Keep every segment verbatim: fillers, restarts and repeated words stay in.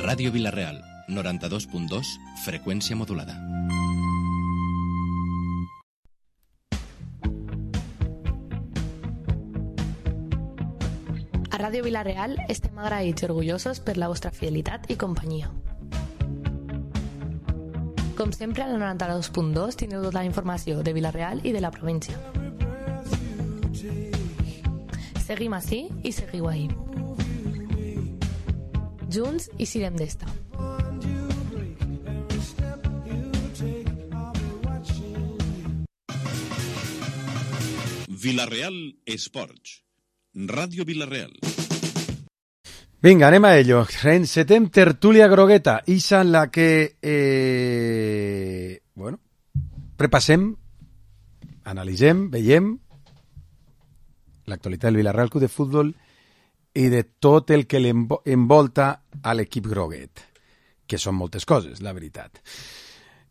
Ràdio Vila-real, noranta-dos punt dos, freqüència modulada. A Ràdio Vila-real estem agraïts i orgullosos per la vostra fidelitat i companyia. Com sempre, a la noranta-dos punt dos tindreu tota la informació de Vila-real i de la província. Seguim ací i seguiu ahí. Junts i sirem d'esta. Vila-real Esports. Ràdio Vila-real. Vinga, anem a ello. Encetem tertúlia grogueta, ixa en la que eh, bueno, repassem, analitzem, veiem l'actualitat del Vila-real Club de Futbol i de tot el que l'envolta a l'equip groguet, que són moltes coses, la veritat.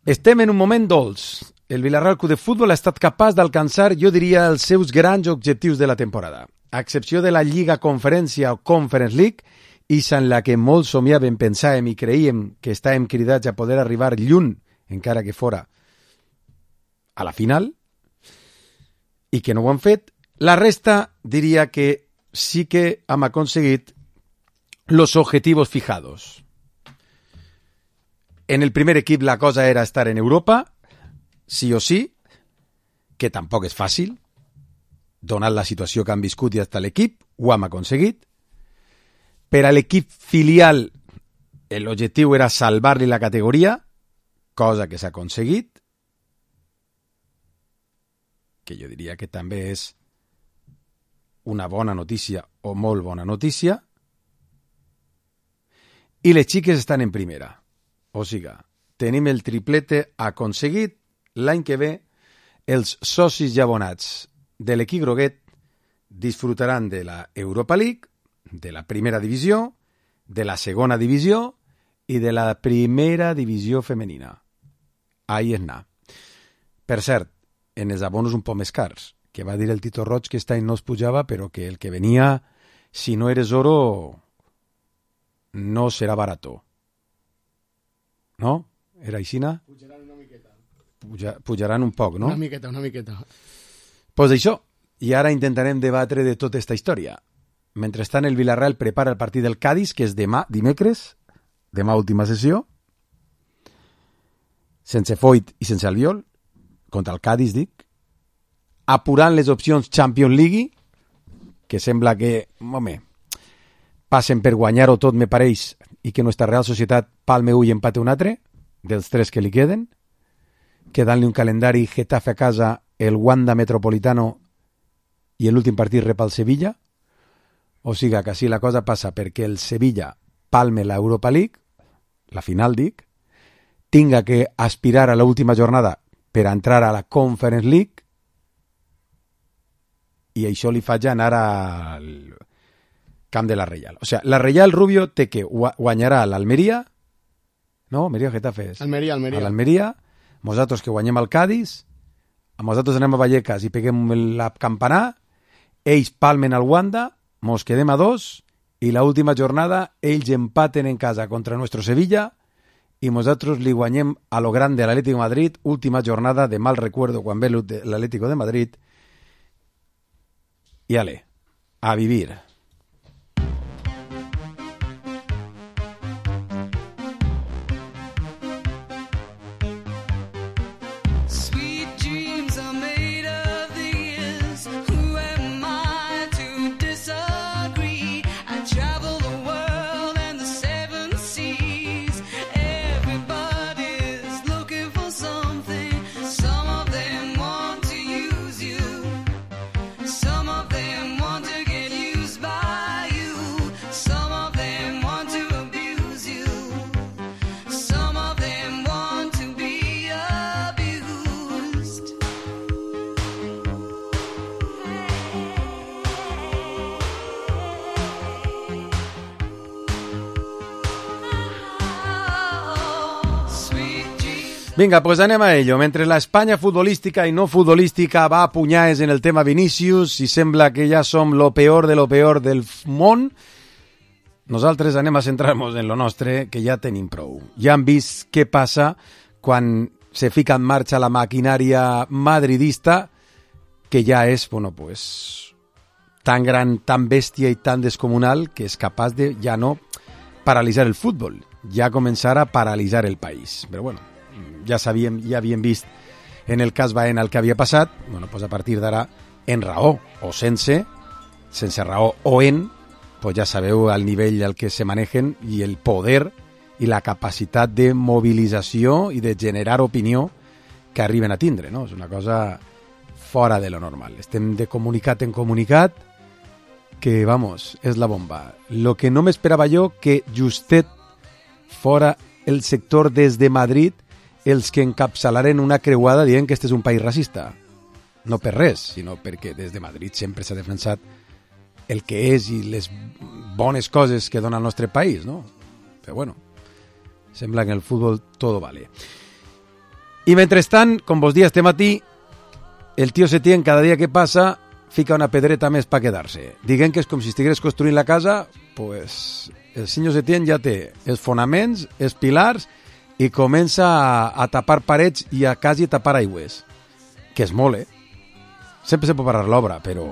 Estem en un moment dolç. El Vila-real Club de Futbol ha estat capaç d'alcançar, jo diria, els seus grans objectius de la temporada. A excepció de la Lliga Conferència o Conference League, ixa en la que molts somiàvem, pensàvem i creíem que estàvem cridats a poder arribar lluny, encara que fora a la final, i que no ho han fet, la resta diria que sí que hem aconseguit los objetivos fijados. En el primer equip la cosa era estar en Europa, sí o sí, que tampoc és fàcil, donat la situació que han viscut i hasta l'equip, ho hem aconseguit. Per a l'equip filial, l'objectiu era salvar-li la categoria, cosa que s'ha aconseguit, que jo diria que també és una bona notícia o molt bona notícia, i les xiques estan en primera. O sigui, tenim el triplete aconseguit. L'any que ve, els socis i abonats de l'equip groguet disfrutaran de la Europa League, de la primera divisió, de la segona divisió i de la primera divisió femenina. Ahí és anar. Per cert, en els abonos un poc més cars, que va dir el Tito Roig que este any no es pujava, però que el que venia, si no eres oro, no serà barato. No? Era aixina? Pujaran una miqueta. Puja, pujaran un poc, no? Una miqueta, una miqueta. Pues això. I ara intentarem debatre de tota aquesta història. Mentrestant, el Vila-real prepara el partit del Cádiz, que és demà, dimecres, demà última sessió, sense Foyt i sense Albiol, contra el Cádiz, dic, apurant les opcions Champions League, que sembla que, home, passen per guanyar-ho tot, me pareix, i que nostra Real Societat palme ull i empate un altre, dels tres que li queden, quedant-li un calendari Getafe a casa, el Wanda Metropolitano i l'últim partit rep al Sevilla. O sigui que així la cosa passa perquè el Sevilla palme la Europa League, la final dic, tinga que aspirar a l'última jornada per entrar a la Conference League, i això li faig anar al camp de la Reial. O sigui, la Reial Rubio té que guanyarà l'Almeria, no? Almeria o Getafe és? Almeria, Almeria. A l'Almeria, nosaltres que guanyem el Cádiz, nosaltres anem a Vallecas i peguem la campanar, ells palmen al Wanda, mos quedem a dos, i la última jornada ells empaten en casa contra nuestro Sevilla i nosaltres li guanyem a lo grande a l'Atlético de Madrid, última jornada de mal recuerdo quan ve l'Atlético de Madrid, i ale, a vivir. Vinga, pues anem a ello. Mentre la Espanya futbolística i no futbolística va a punyades en el tema Vinícius i sembla que ja som lo peor de lo peor del món, nosaltres anem a centrar-nos en lo nostre, que ja tenim prou. Ja hem vist què passa quan se fica en marxa la maquinària madridista, que ja és, bueno, pues, tan gran, tan bèstia i tan descomunal que és capaç de ja no paralitzar el futbol, ja començar a paralitzar el país. Però bueno, ja sabíem, ja havíem vist en el cas Baena el que havia passat, bueno, pues a partir d'ara, en raó o sense, sense raó o en, pues ja sabeu el nivell al que se manegen i el poder i la capacitat de mobilització i de generar opinió que arriben a tindre, no? És una cosa fora de lo normal. Estem de comunicat en comunicat que, vamos, és la bomba. Lo que no m'esperava jo que justet fora el sector des de Madrid els que encapçalaren una creuada dient que este és un país racista. No per res, sinó perquè des de Madrid sempre s'ha defensat el que és i les bones coses que dona el nostre país, no? Però bueno, sembla que en el futbol todo vale. I mentrestant, com vos dia este matí, el tio Setién cada dia que passa fica una pedreta més per quedar-se. Diguem que és com si estigués construint la casa, pues el senyor Setién ja té els fonaments, els pilars i comença a, a tapar parets i a quasi tapar aigües. Que és molt, eh? Sempre se pot parar l'obra, però...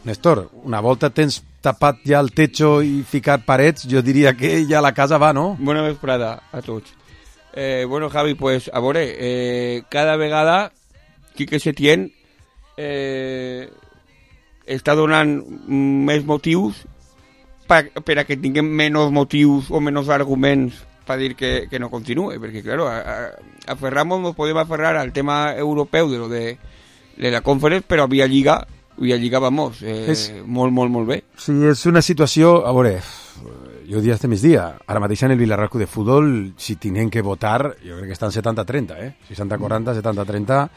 Néstor, una volta tens tapat ja el techo i ficat parets, jo diria que ja la casa va, no? Bona vesprada a tots. Eh, bueno, Javi, pues, a veure, eh, cada vegada Quique Setién eh, està donant més motius per, per a que tinguem menys motius o menys arguments per dir que, que no continue, perquè, claro, a, a, aferramos, nos podem aferrar al tema europeu de lo de, de la Conference, però via Lliga via Lliga, vamos, eh, és, molt, molt, molt bé. Sí, és una situació, a veure, jo dia este migdia, ara mateix en el Vilarreal Club de Futbol, si tenen que votar, jo crec que estan setanta trenta, eh? seixanta quaranta, setanta trenta,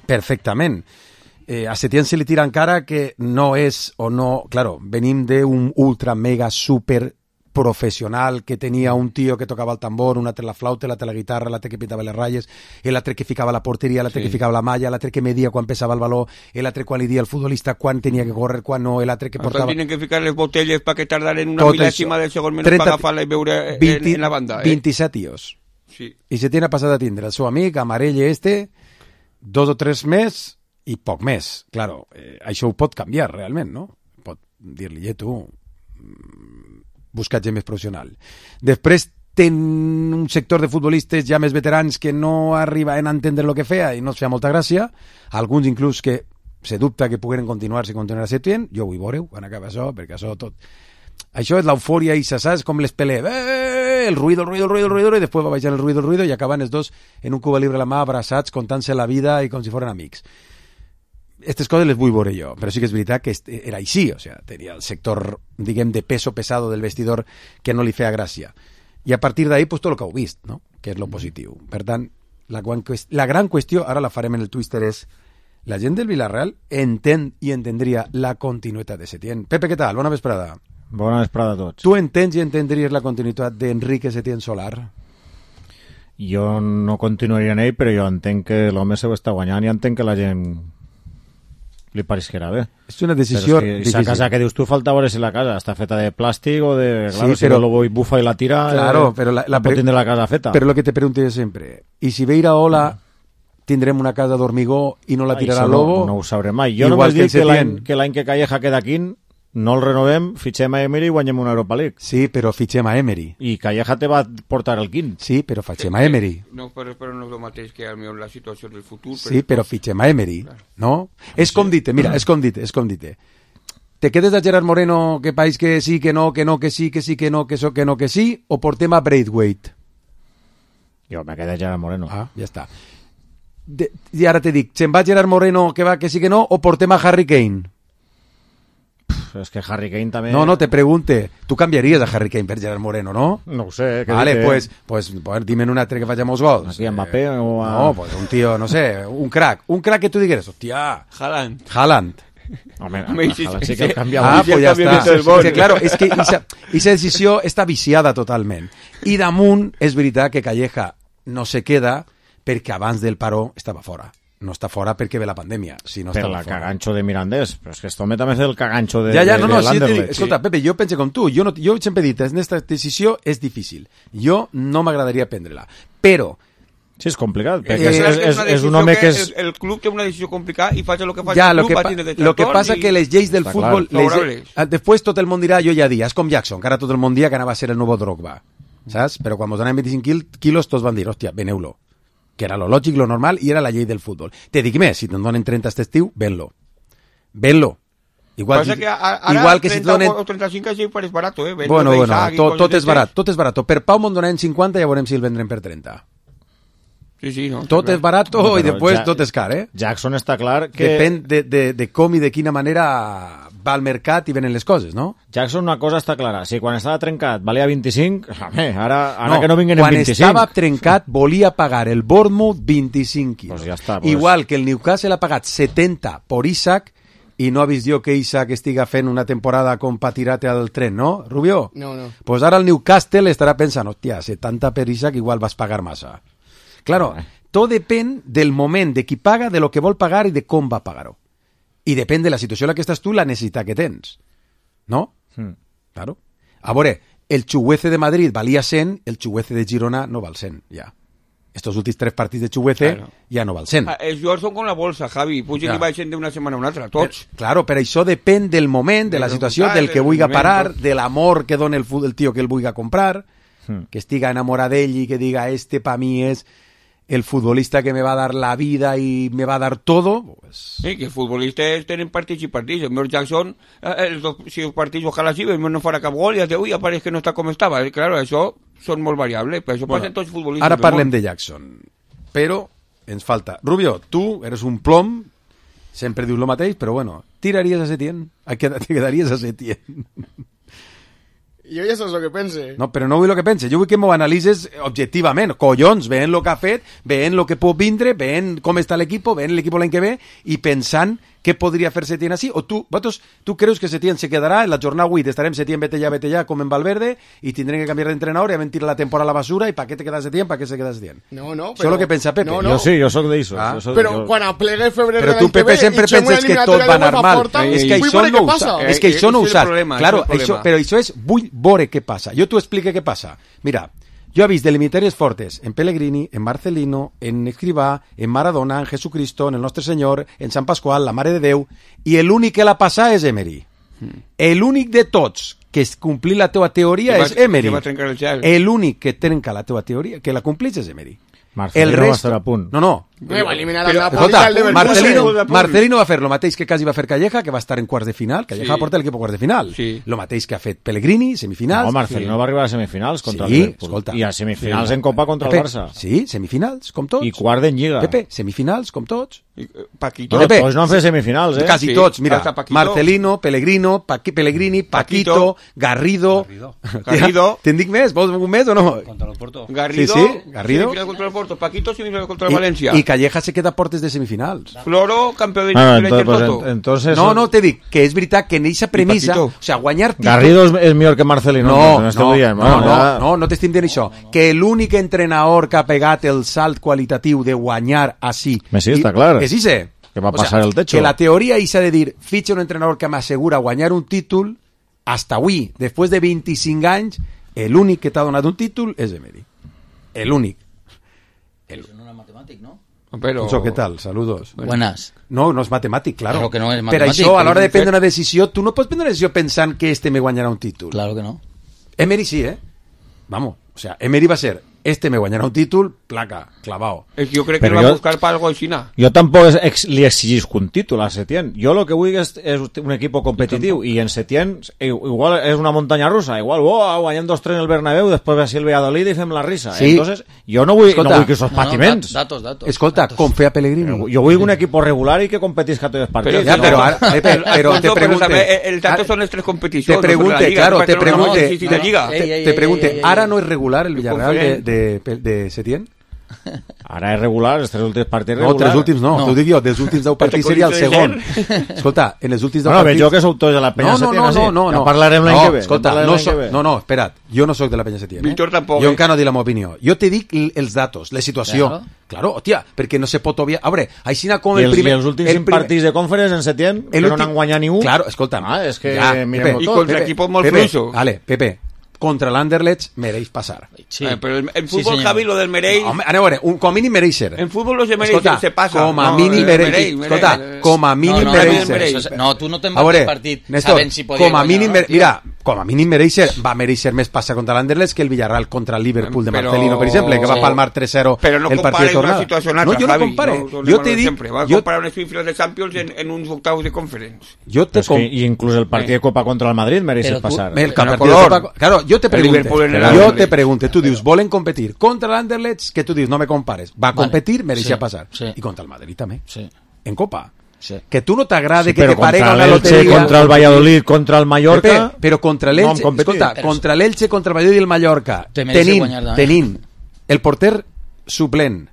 perfectament. Eh, a Setién se li tira encara que no és o no... Claro, venim d'un ultra mega super professional que tenia un tio que tocava el tambor, un altre la flauta, l'altre la guitarra, l'altre que pitava les ratlles, l'altre que ficava la porteria, l'altre sí. que ficava la malla, l'altre que media quan pesava el baló, l'altre quan li dia al futbolista quan tenia que córrer, quan no, l'altre que portava... Tenen que ficar les botelles perquè tardaren una mil·lèsima del segon menys per agafar-la i veure veinte, en, en la banda. Eh? vint-i-set tios. Sí. I se tiene passat a tindre el seu amic, Amarelle este, dos o tres més i poc més. Claro, eh, això ho pot canviar realment, no? Pot dir-li, eh, tu... buscat gent més professional. Després ten un sector de futbolistes ja més veterans que no arribaven a entendre el que feia i no es feia molta gràcia, alguns inclús que se dubta que pogueren continuar si continuarà Setién. Jo vull veure quan acaba això, perquè això tot... Això és l'eufòria i saps com les pelé, eh, el ruido, el ruido, el ruido, el ruido, i després va baixar el ruido, el ruido, i acaben els dos en un Cuba Libre a la mà, abraçats, contant-se la vida i com si foren amics. Aquestes coses les vull veure jo, però sí que és veritat que era així, o sigui, tenia el sector, diguem, de peso pesado del vestidor que no li feia gràcia. I a partir d'ahí, pues, tot el que heu vist, no? Que és lo positiu. Per tant, la, la gran qüestió, ara la farem en el Twitter, és la gent del Villarreal entén i entendria la continuïtat de Setién. Pepe, què tal? Bona vesprada. Bona vesprada a tots. Tu entens i entendries la continuïtat d'Enrique Setién Solar? Jo no continuaria en ell, però jo entenc que l'home se ho està guanyant i entenc que la gent li pareixerà bé. És una decisió però és que esa casa que dius tu falta veure si la casa està feta de plàstic o de... Claro, sí, però... si no lo bufa i la tira, claro, eh, però la, la no pot tindre la casa feta. Però lo que te pregunto sempre, i si veira Ola tindrem una casa d'hormigó i no la tirarà no, Lobo? No ho sabré mai. Jo només dic que l'any que, l'any que Calleja queda aquí no el renovem, fitxem a Emery i guanyem una Europa League. Sí, però fitxem a Emery. I Calleja te va portar el quint. Sí, però fitxem a Emery. No, però, però no és el mateix que la situació del futur. Sí, però fitxem a Emery, no? És com dite, mira, és com dite, és com dite. Te quedes de Gerard Moreno que país que sí, que no, que no, que sí, que sí, que no, que so, que no, que sí, o portem a Braithwaite? Jo me quedé Gerard Moreno. Ah, ja està. De, I ara te dic, se'n va Gerard Moreno que va que sí, que no, o portem a Harry Kane? És que Harry Kane també... No, no, te pregunte. Tu canviaries a Harry Kane per Gerard Moreno, no? No ho sé. Vale, pues, pues, pues dime un altre que faci molts gols. Aquí a Mbappé eh, o a... No, pues un tío, no sé, un crack. Un crack que tu digueres, hòstia... Haaland. Haaland. Home, Haaland sí que el canvia. Ah, pues ja està. És que, claro, és que aquesta decisió està viciada totalment. I damunt és veritat que Calleja no se queda perquè abans del paró estava fora. no està fora perquè ve la pandèmia. Si no Per està la fora. caganxo de Mirandés. Però és que esto me també és el caganxo de, Ja, ja, de, no, no, de sí, te dic, l'Anderlecht. escolta, Pepe, jo pense com tu. Jo, no, jo sempre he dit, en aquesta decisió és difícil. Jo no m'agradaria prendre-la. Però, Sí, és complicat. Eh, Perquè és, és, és, és, una és un decisió home que és... El, el club té una decisió complicada i faig el que faig ja, el lo club que, va pa, tindre lo que detractors passa i- que les lleis del Està futbol... clar. Les, Favorables. eh, després tot el món dirà, jo ja dia, és com Jackson, que ara tot el món dia que anava a ser el nou Drogba. Saps? Però quan ens donaven vint-i-cinc quil- quilos, tots van dir, hòstia, veneu-lo. Que era lo lògic, lo normal, i era la llei del futbol. Te dic més, si te'n donen trenta este estiu, ven-lo. Ven-lo. Igual, Passa si, que a- ara igual que si te trenta donen... o trenta-cinc així pareix barat, eh? Vendre Bueno, bueno, d'Isaac i tot, coses tot és d'aquestes. barat, tot és barat. Per Pau me'n donen cinquanta i ja veurem si el vendrem per trenta. Sí, sí, no. Tot és barat Bueno, i però després ja- tot és car, eh? Jackson està clar que... Depèn de, de, de com i de quina manera va al mercat i venen les coses, no? Jackson una cosa està clara. Si quan estava trencat valia vint-i-cinc, home, ara, ara no, que no vinguin en quan vint-i-cinc. estava trencat volia pagar el Bournemouth vint-i-cinc quilos. Pues ja està, pues. Igual que el Newcastle ha pagat setenta por Isaac i no ha vist jo que Isaac estiga fent una temporada com pa tirar-te al tren, no, Rubio? No, no. Pues ara el Newcastle estarà pensant, hòstia, setanta per Isaac igual vas pagar massa. Claro, tot depèn del moment de qui paga, de lo que vol pagar i de com va pagar-ho. I depèn de la situació en la que estàs tu, la necessitat que tens. No? Mm. Claro. A veure, el Chuguece de Madrid valia cent, el Chuguece de Girona no val cent, ja. Estos últims tres partits de Chuguece Claro. ja no val cent. Ah, Els jugadors són com la bolsa, Javi. Pugen Ja. i baixen d'una setmana a una altra, tots. Per, claro, però això depèn del moment, de la Del situació, resultat, del que del vulgui moment, parar, tot. de l'amor que dona el, fu- el tio que el vulgui comprar, Mm. que estiga enamorat d'ell i que diga, este pa mi és el futbolista que me va a dar la vida y me va a dar todo, pues... Sí, que els futbolistes tenen partits i partits. El meu Jackson, eh, els dos, si els partits ojalà sí, el meu no farà cap gol i ja ui, apareix que no està com estava. Eh, Claro, això són molt variables, però això passa en tots els futbolistes. Ara del parlem món. de Jackson, però ens falta. Rubio, tu eres un plom, sempre dius lo mateix, però bueno, tiraries a Setién? A què te quedaries a Setién? Jo ja saps el que pense. No, però no vull el que penses, jo vull que m'ho analitzes objectivament. Collons, veient el que ha fet, veient el que pot vindre, veient com està l'equip, veient l'equip l'any que ve i pensant què podria fer Setién així. O tu, vosaltres, tu creus que Setién se quedarà en la jornada vuit, estarem Setién, vete ja, vete ja, com en Valverde, i tindrem que canviar d'entrenador i vam tirar la temporada a la basura i pa què te queda Setién, pa què se queda Setién? No, no, Això és el que pensa Pepe. No, no. Jo sí, jo sóc d'això. Ah. jo soc- Però jo- quan aplegue febrer Però de tu, l'any que Pepe, ve sempre i fem una penses que tot eliminatòria va de anar UEFA mal. forta, És que vull això veure no què ho passa. saps. Eh, És que eh, això no ho ese és el saps. problema, Claro, ese és el això, problema. però això és, vull veure què passa. Jo t'ho explique què passa. Mira, jo he vist eliminatòries fortes en Pellegrini, en Marcelino, en Escrivà, en Maradona, en Jesucristo, en el Nostre Senyor, en Sant Pasqual, la Mare de Déu, i l'únic que la passa és Emery. L'únic de tots que es complir la teva teoria Que va- és Emery. que va trencar el gel. L'únic que trenca la teva teoria, que la complís és Emery. Marcelino va estar a punt. No, no. Eh, va eliminar Però- el Napoli Escolta, al Leverkusen. Marcelino, Leverkusen. Marcelino va fer el mateix que quasi va fer Calleja, que va estar en quarts de final. Calleja Sí. va portar l'equip a quarts de final. Sí. El mateix que ha fet Pellegrini, semifinals. No, Marcelino va arribar a semifinals contra Sí, el Liverpool. escolta. I a semifinals Sí. en Copa contra Pepe, el Barça. Sí, semifinals, com tots. I quart en Lliga. Pepe, semifinals, com tots. I, eh, Paquito. No, Pepe. tots no han fet semifinals, eh? Quasi Sí, tots, mira. hasta Paquito. Marcelino, Pellegrino, Paqui, Pellegrini, Paquito, Paquito. Garrido. Garrido. Te'n dic més? Vols un més o no? Garrido. Sí, sí, Garrido. Semifinal contra el Porto. Paquito, semifinal contra el I, València. I Calleja se queda a portes de semifinals. Floro, campeón de Ah, de entonces, pues, Intertoto. en- entonces No, no, te dic que és veritat que en eixa premissa, Paquito. o sea, guanyar títols... Garrido és, és millor que Marcelino. No, no, no, dient. no, Bueno, no, ja- no, no t'estic dient això. Que l'únic entrenador que ha pegat el salt qualitatiu de guanyar així... Sí, està clar. És Ise. Que va passar el techo. Que la teoria s'ha de dir, fitxa un entrenador que m'assegura guanyar un títol, hasta avui, després de vint-i-cinc anys, l'únic que t'ha donat un títol és Emery. L'únic. No era matemàtic, no? Pero... Això, què tal? Saludos. Buenas. No, no és matemàtic, claro. Claro que no és Per matemàtic, això, a l'hora però de és un prendre fet. una decisió, tu no pots prendre una decisió pensant que este me guanyarà un títol. Claro que no. Emery sí, ¿eh? Vamos, o sea, Emery va a ser, este me guanyarà un títol, placa, clavado. Es que yo creo que Pero él va a yo- buscar para algo així. Jo tampoc es, ex, li exigisc un títol a Setién. Jo el que vull és, és un equip competitiu i en Setién i- igual és una muntanya russa, igual oh, guanyem dos tres en el Bernabéu, després ve així el Valladolid i fem la risa. Sí. Entonces, jo no vull, Escolta, no vull que esos No, no, patiments. dat- datos, datos. Escolta, datos. com feia Pellegrini. Jo vull un equip regular i que competisca tots els partits. Ja, sí, però no. ara, eh, però, però te Alfonso, pregunte... també, el dato ah, son les tres Te competicions. pregunte, claro, te pregunte... No, sí, sí, de Lliga. Te, Ey, ey, te ey, pregunte, ey, ey, ¿ara ey. no es regular el Villarreal de, Conferent. de, de Setién? Ara és regular, els tres últims partits No, regular. tres últims no, No. t'ho dic jo, dels últims deu partits seria el segon. Escolta, en els últims deu Bueno, veig partits... jo que sou tots de la penya No, no, Setién, no, així. no, no, Ja no. parlarem l'any no, que ve. ja Escolta, parlarem no, l'any que so, ve. no, no, espera't, jo no sóc de la penya Setién. Eh? Víctor tampoc, Jo eh? encara no dic la meva opinió. Jo te dic l- els datos, la situació. Claro. Claro, hòstia, perquè no se pot obviar... A veure, així com I el els, primer... i els últims el cinc primer- partits de conference en Setién, que el no últim- n'han guanyat ni un. Claro, escolta'm. Ah, és que Ja, mirem-ho Pepe, I tot. contra Pepe, equipos molt Pepe, fluixos. Vale, Pepe, contra l'Anderlecht mereix passar. Sí. Eh, però el, el Sí, fútbol, senyor. Javi, lo del mereix... Home, aneu a veure, un, com a mínim mereix ser. En fútbol no se mereix, Escolta, se passa. com a No, mínim eh, mereix, mereix, mereix. escolta, com a mínim no, no, mereix no, ser. mereix. Això, no, tu no te'n A vas veure, del partit Néstor, sabent si podia com a guanyar mínim, o no, mer- mira, com a mínim mereixer, va mereixer més passa contra l'Anderlecht que el Villarreal contra el Liverpool de Però- Marcelino, per exemple, que va Sí. palmar tres cero Però no el partit de compares una tornada. situació amb una No, altra, jo no Javi. compare. No, Jo te dic, sempre. Va a jo, comparar unes semifinals de Champions en, en uns octavos de conference. jo te És que, com... I inclús el partit de Copa contra el Madrid mereix Però tu- passar. El Pero partit de color. Copa- Claro, jo te El Liverpool pregunte, en el jo Madrid. te pregunte, tu dius, volen competir contra l'Anderlecht, que tu dius, no me compares. Va a Vale. competir, mereixia Sí, passar. sí. I contra el Madrid també. Sí. En Copa. Sí. Que tu no t'agrade Sí, que però te parega contra una l'Elche, loteria... contra el Valladolid, contra el Mallorca... Pepe, però contra no l'Elche, hem competit. escolta, Però- contra l'Elche, contra el Valladolid i el Mallorca, Te mereixes tenint, guanyar també. tenint el porter suplent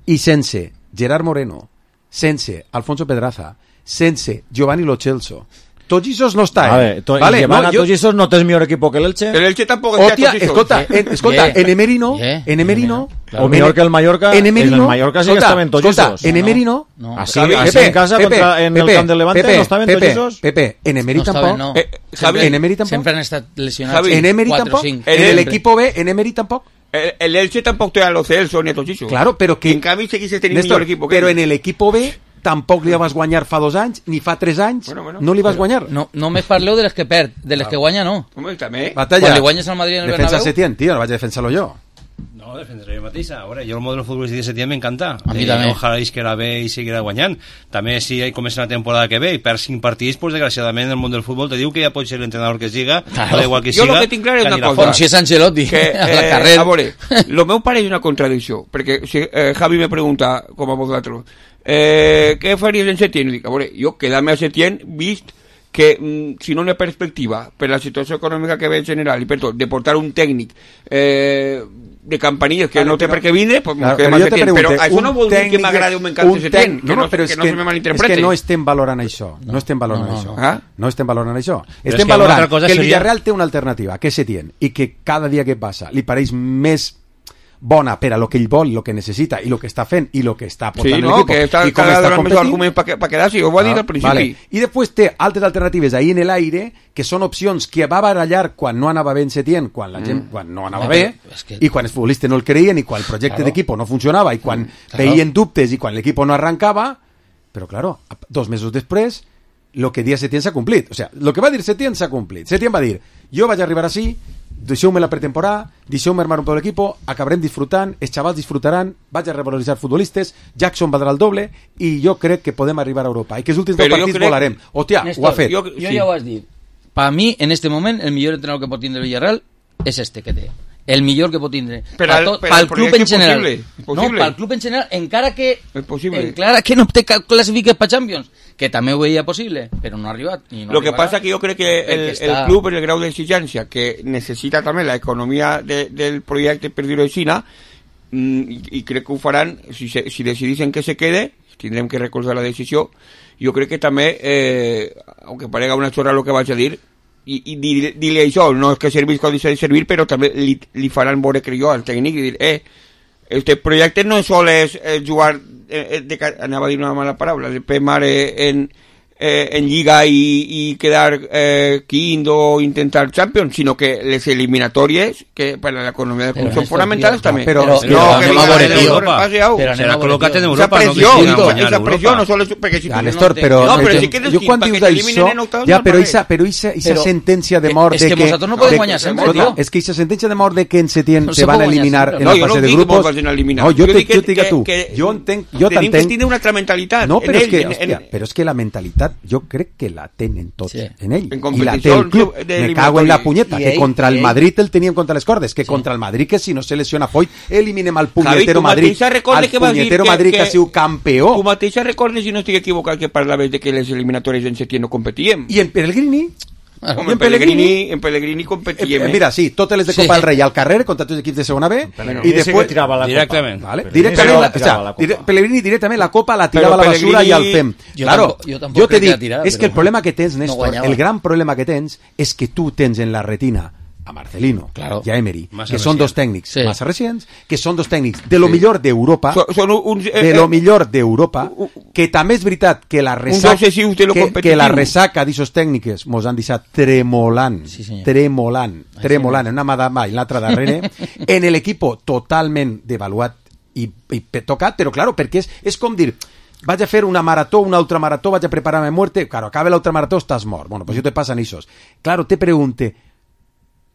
i sense Gerard Moreno, sense Alfonso Pedraza, sense Giovanni Lo Celso, tots aquests no està, A eh? ver, to, vale, y llevan no, a jo- tots esos no tens millor equipo que el Elche. El Elche tampoco está Hòstia, con eso. escolta, en, escolta, Yeah. en Emery no, Yeah. en Emery no, Claro. O millor que el Mallorca, en Emery en el no, Mallorca sí que escolta, estaven tots escolta, esos. en Emery no, No. Así, Javi, así Pepe, en casa, Pepe, contra, en Pepe, el camp del Levante, Pepe, no estaven Pepe, tots esos. Pepe, en Emery No tampoc. estaven, no. Eh, Javi, en Emery tampoc. Sempre han estat lesionats. Javi, En Emery quatre o tampoc. cinc. En el Siempre. equipo B, en Emery tampoc. El, el Elche tampoco te da los Celso ni a Tochiso. Claro, però que... En canvi seguís tenint Néstor, millor equip que però ell. en el equipo B tampoc li vas guanyar fa dos anys, ni fa tres anys, Bueno, bueno. no li vas guanyar. No, només parleu de les que perd, de les que guanya no. Home, també. Batalla. Quan li guanyes al Madrid en el Defensa Bernabéu... Setién, tio, no vaig a defensar-lo jo. No, defensaré jo mateixa. A veure, jo el model futbolístic de Setién m'encanta. A mi també. Ojalà isquera bé i seguirà guanyant. També si hi comença la temporada que ve i perd cinc partits, pues, desgraciadament el món del futbol te diu que ja pot ser l'entrenador que siga, Claro. da igual que Jo siga. lo que tinc clar és que una anirà cosa. fora. Com si és Ancelotti, que, a la eh, carrera. a veure, lo meu pare és una contradicció, perquè si eh, Javi me pregunta, com a vosaltres, eh, què faries en Setién? Dic, a veure, jo quedar-me a Setién, vist que mm, si no hi ha perspectiva per la situació econòmica que ve en general i per tot, de portar un tècnic eh, de campanilles que Vale, no té però- per què vindre, pues Claro, m'ho quedem però a jo te Setién. Però pregunte, això un no vol dir que tècnic- m'agradi o m'encanta un Setién, tècnic- que no, però que és no se me és malinterprete. que no estem valorant això, no, estem valorant no, no, això. no. Ah? No estem valorant això. és Estem que una valorant altra cosa que el seria- Villarreal té una alternativa, que és Setién, i que cada dia que passa li pareix més bona per a lo que ell vol, lo que necessita i lo que està fent i lo que està portant Sí, no, l'equip que està i com cada està vegada més competint. arguments per pa quedar-se, ho va dir Ah, al principi. vale. I després té altres alternatives ahí en l'aire, que són opcions que va barallar quan no anava bé en Setién, quan la gent, quan no anava No, bé, però és que- i quan els futbolistes no el creien, i quan el projecte Claro. d'equip no funcionava, i quan Claro. veien dubtes, i quan l'equip no arrancava, però claro, dos mesos després, lo que dia Setién s'ha complit. O sea, lo que va dir Setién s'ha complit. Setién va dir, jo vaig arribar així, deixeu-me la pretemporada, deixeu-me armar un peu l'equip, acabarem disfrutant, els xavals disfrutaran, vaig a revaloritzar futbolistes, Jackson valdrà el doble, i jo crec que podem arribar a Europa, i que els últims Però dos jo partits crec- volarem. Hòstia, Néstor, ho ha fet. jo- Jo Sí. ja ho has dit. Per mi, en este moment, el millor entrenador que pot tindre el Villarreal és este que té. El millor que pot tindre. Però Pa el- tot, però pel el club projecte en és general. possible, és No, possible. pel club en general, encara que... És possible. Encara que no te ca- classifiques per Champions, que també ho veia possible, però no ha arribat. I no Lo que arribarà. pasa que yo creo que el, El que està- el club en el grado de exigencia que necesita también la economía de, del proyecto perdido de China mm, y, y creo que ho faran si, se, si decidisen que se quede tendrem que recordar la decisió. Jo crec que també eh, aunque parega una chorra lo que vaig a dir i, i dir, dir-li això, no és que servís com deixa de servir, però també li, li faran veure, crec jo, al tècnic i dir, eh, este projecte no sol és eh, jugar eh, eh, de, anava a dir una mala paraula, de pemar eh, en Eh, en Lliga y, y quedar eh, quinto o intentar Champions, sino que les eliminatorias que para la economía del club Pero son esto, fundamentales tío, también. pero- no, pero que anem a digan, veure, eh, tío. Europa. Paseado. Pero Serà anem a col·locat en veure, Esa Europa, no que presión, siguin esa, guanyant esa Europa. presión no solo es porque si Ja, tú- Néstor, no, però... no, però jo- si quedes jo quin, quan pa' dius que t'eliminen això... en octavos, Ja, no però vale. esa, però esa, esa Però- sentència de eh, mort és de que que... vosaltres no podeu de- guanyar sempre, escolta, tio. és que esa sentència de mort de que en Setién No se se van a pot guanyar eliminar sempre. en No, la jo no fase de dic que grupos... vos vagin a eliminar. No, jo, Jo te, dic jo que- te dic a tu. que- Jo entenc... Jo tenim que t'entenc... tindre una altra mentalitat. No, en però és ell, que, en- hòstia, en- però és que la mentalitat jo crec que la tenen tots Sí. en ell. En I la té competició el club. de Me cago en la eliminatoria. punyeta, I que ell- contra el i ell- Madrid el teníem contra les cordes, que contra el Madrid, que si no se lesiona Foyt, eliminem al Javi, punyetero tu Madrid, mateixa recorda al que vas dir punyetero que- Madrid que que- ha sigut campió. Tu mateixa recordes, si no estic equivocat, que parlaves de que les eliminatorias en Setién no competíem. I en Pellegrini, Home, en Pellegrini, en Pellegrini competia Eh, més. mira, sí, totes les de Sí. Copa del Rei al carrer contra tots els equips de segona B Pellegrini i sí que després tirava la copa. Directament. Vale. Pellegrini Directament, sí que la, la tirava o la sea, dire- copa. Pellegrini directament la copa la tirava Però a la basura i al Pellegrini- fem. Jo Claro, tampoc- jo tampoc jo te crec que dic, la tirava, és que el però problema que tens, no Néstor, guanyava. el gran problema que tens és que tu tens en la retina a Marcelino Claro. i a Emery, Massa que són recient. dos tècnics Sí. massa recents, que són dos tècnics de lo millor d'Europa, So- Són uns... eh, de lo eh, millor d'Europa, que també és veritat que la resaca, obsessius de lo que, competitiu. que la resaca d'aixos tècniques mos han deixat tremolant, Sí, senyor. tremolant, tremolant, en una mà davant i l'altra darrere, en l'equipo totalment devaluat i, i pe- tocat, però claro, perquè és, és com dir, vaig a fer una marató, una altra marató, vaig a preparar mi muerte, claro, acaba l'altra marató, estàs mort. Bueno, pues yo te pasan esos. Claro, te pregunte,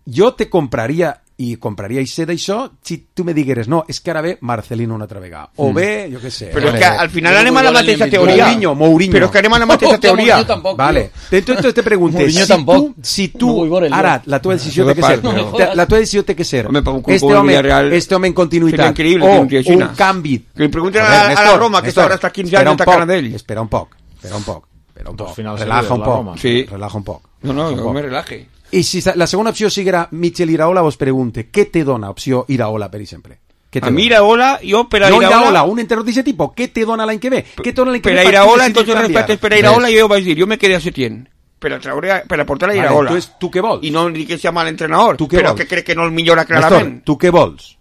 jo te compraria i compraria i sé d'això si tu me digueres, no, és que ara ve Marcelino una altra vegada. O bé, jo què sé. Però és vale, que al final Jo anem a la no vull mateixa veure teoria. Mourinho, Mourinho. Però és que anem a la mateixa teoria. Mourinho tampoc, Vale. Entonces te pregunte, Mourinho si tampoc. tu, si No tu vull veure el ara, lloc. la teva decisió No té que me ser, parlo. No me la teva decisió té que ser, Home, per un club este com el home, Villarreal este home en seria continuïtat, increïble o que un tio així, un no? canvi. Que li pregunten a, Joder, a la Néstor, Roma, que Néstor, està hasta quinze espera anys un atacant poc, d'ell. espera un poc, espera un poc, espera un Dos poc, finals relaja seguides, un la poc, Roma. Sí. relaja un poc. No, no, un no poc. me relaje. I si la segona opció siguera Michel Iraola, vos pregunte, què te dona opció Iraola, per exemple? Què te A mi dona? Iraola, jo per a No Iraola... Iraola, un entrenador d'aquest tipus, què te dona l'any que ve? Què te dona l'any que Per ve? a per tu Iraola, decidir entonces canviar? respectes per a Iraola, jo vaig dir, jo me quedé a Setién. Per a, traure, per a portar a Vale, Iraola. entonces, tu què vols? I no dic que sia mal entrenador, Tu què però vols? que crec que no el millora Néstor, clarament. tu què vols?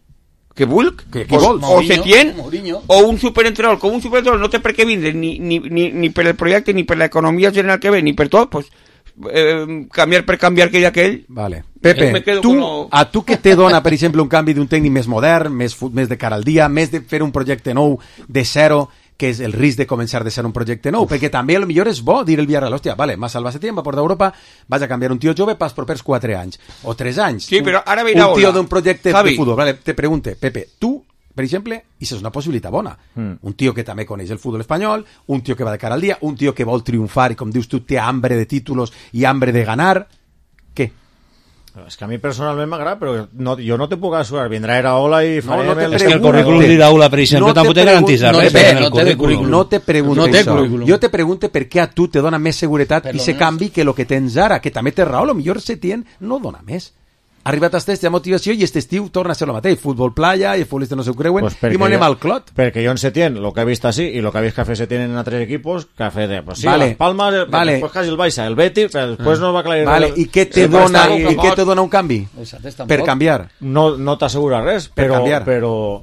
Que vull? Què- què Pues, vols? O Mourinho, Setién, Mourinho. o un superentrenador. Com un superentrenador no té per què vindre ni, ni, ni, ni per el projecte, ni per l'economia general que ve, ni per tot, pues, eh, canviar per canviar que hi ha aquell. Vale. Pepe, Me quedo tu, con lo- a tu què te dona, per exemple, un canvi d'un tècnic més modern, més, fu- més de cara al dia, més de fer un projecte nou de zero, que és el risc de començar de ser un projecte nou, perquè també a lo millor és bo dir el Villarreal, hòstia, vale, m'ha salvat Setién, va portar a Europa, vaig a canviar un tio jove pels propers quatre anys, o tres anys. Sí, Un- però ara ve Un Iraola. tio d'un projecte Javi. de futbol. Vale, te pregunte, Pepe, tu, per exemple, i és una possibilitat bona. Mm. Un tio que també coneix el futbol espanyol, un tio que va de cara al dia, un tio que vol triomfar i, com dius tu, té hambre de títulos i hambre de ganar. Què? És que a mi personalment m'agrada, però no, jo no te puc assegurar. Vindrà Iraola i farem no te el... És que el Pregunte. currículum d'Iraola, per exemple, No te tampoc te garantís pregun- res. no té, en el no té de currículum. No te pregunte No té això. currículum. Jo te pregunte per què a tu te dona més seguretat Per i lo se menos- canvi que el que tens ara, que també té raó, lo millor Setién no dona més. Ha arribat a aquesta motivació i aquest estiu torna a ser el mateix. Futbol playa i els futbolistes no s'ho creuen Pues i perquè m'ho anem jo- al clot. Perquè jo en Setién, lo que he vist així, i lo que he vist que ha fet Setién en altres equipos, que ha fet, eh, pues sí, Vale. Las Palmas, eh, Vale. després quasi el Baixa, el Betis, però després no va aclarir... Vale, i què te el dona, Barça i què te dona un canvi? Exacte, tampoc. Per canviar. No, no t'assegura res, Per però... canviar. però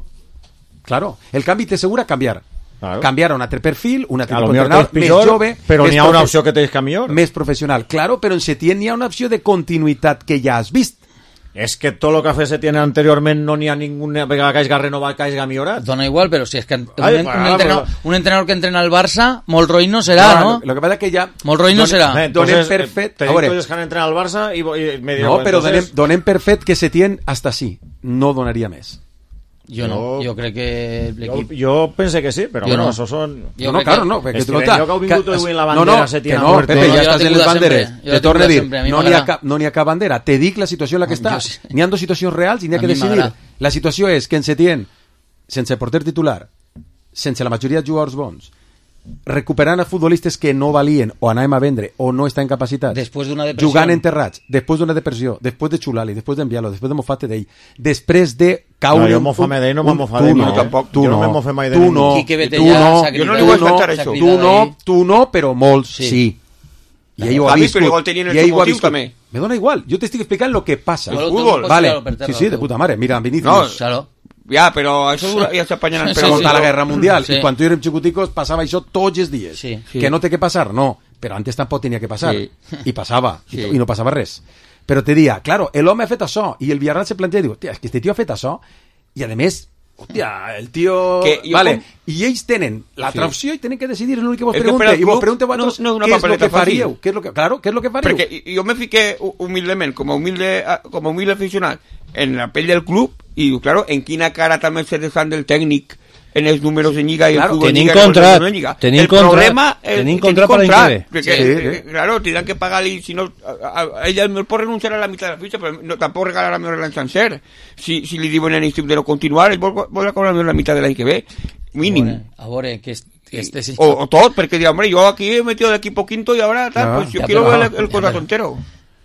Claro, el canvi t'assegura canviar. Claro. Canviar a un altre perfil, un altre a lo tipus millor d'entrenador, tens més pitjor, jove, però més n'hi ha una profe- opció que tens que millor. més professional. Claro, però en Setién n'hi ha una opció de continuïtat que ja has vist. És que tot el que ha fet Setién anteriorment no n'hi ha ninguna vegada que hagi renovat, que hagi millorat. Dona igual, però si és que un, Ai, un, va, entrenador, però- un entrenador que entrena al Barça, molt roïn no serà, No, no? Lo, lo que pasa es que ja... Molt roïn no donem- serà. Eh, Donem entonces, per eh, fet... tenim A veure, coses que han entrenat al Barça i, i me diu, no, però donem, entonces, donem per fet que Setién hasta sí, no donaria més. Jo no, Jo- jo crec que jo, l'equip... jo pense que sí, però Jo bueno, no. això són... Jo no, no, crec claro, que- no, perquè tu Estirem, nota... jo que heu vingut avui en la no, bandera no, Setién que a no, muerte. Pepe, No, ja jo la estàs en tinc les de banderes. sempre, jo Te la torno a tinc de dir, sempre, a mi no n'hi ha, m'agrada. cap, no n'hi ha cap bandera. Te dic la situació en la que Jo està. sí. N'hi ha dos situacions reals i n'hi ha A que mi decidir. m'agrada. La situació és que en Setién, sense porter titular, sense la majoria de jugadors bons, recuperant a futbolistes que no valien o anàvem a vendre o no estan capacitats, Després d'una depressió. jugant enterrats, després d'una depressió, després de Xulali, després d'enviar-lo, després de mofar-te d'ell, després de caure... No, jo un- mofar-me d'ell no un- m'ha mofat tu d'ell, no, no, tampoc. tu Jo no no, me mofé mai de tu ningú. no, Quique Betella tu no, s'ha Jo no li cridat, vull tu no, acceptar s'ha això. cridat tu no, ahí. tu no, però molts sí. Sí. I ell ho ha Javi, viscut. però igual tenien el I ell seu ho ha motiu, viscut. també. Me dona igual, jo t'estic explicant lo que passa. El fútbol, Vale, tirarlo per terra, sí, sí, de el puta mare. Mira, Vinicius, No, Claro. Ja, però això dura, ja s'apanyen Sí, per sí, contra sí. la Guerra Mundial, Sí. i quan tu érem xicoticos passava això tots els dies. Sí. Que no té que passar, no, però antes tampoc tenia que passar. Sí. I passava, i, Sí. to- i no passava res. Però te dia, claro, l'home ha fet això, i el Villarreal se planteja i diu, hòstia, és que este tio ha fet això, i a més, hòstia, el tio... Que jo vale, com- i ells tenen l'altra Sí. opció i tenen que decidir, és l'únic que vos És que per pregunte, al i vos club pregunte no- vosaltres no és una què és el papeleta que faríeu, fàcil. què és lo que, claro, què és lo que faríeu. Perquè jo me fiqué hu- humilment, com a humilde, com a humilde aficionat, en la pell del club, i diu, claro, en quina cara també se desfan del tècnic en els números de Lliga i Claro, el fútbol tenim Lliga, i els contrat, números de Lliga. tenim el contrat, problema és tenim tenim contrat per l'any que ve. perquè, Sí, eh, sí. claro, tindran que pagar-li, si no, a, a, ella me pot renunciar a la mitad de la fitxa, però no, tampoc regalar a l'any sencer. Si, si li diuen en l'estiu de no continuar, ell vol, vol cobrar la mitad de l'any que ve, mínim. A veure, que est- que este sí. O, o tot, perquè dirà, hombre, yo aquí he metido de equipo quinto y ahora tal, Ya, pues yo ya, quiero pero- ver el, el contrato entero.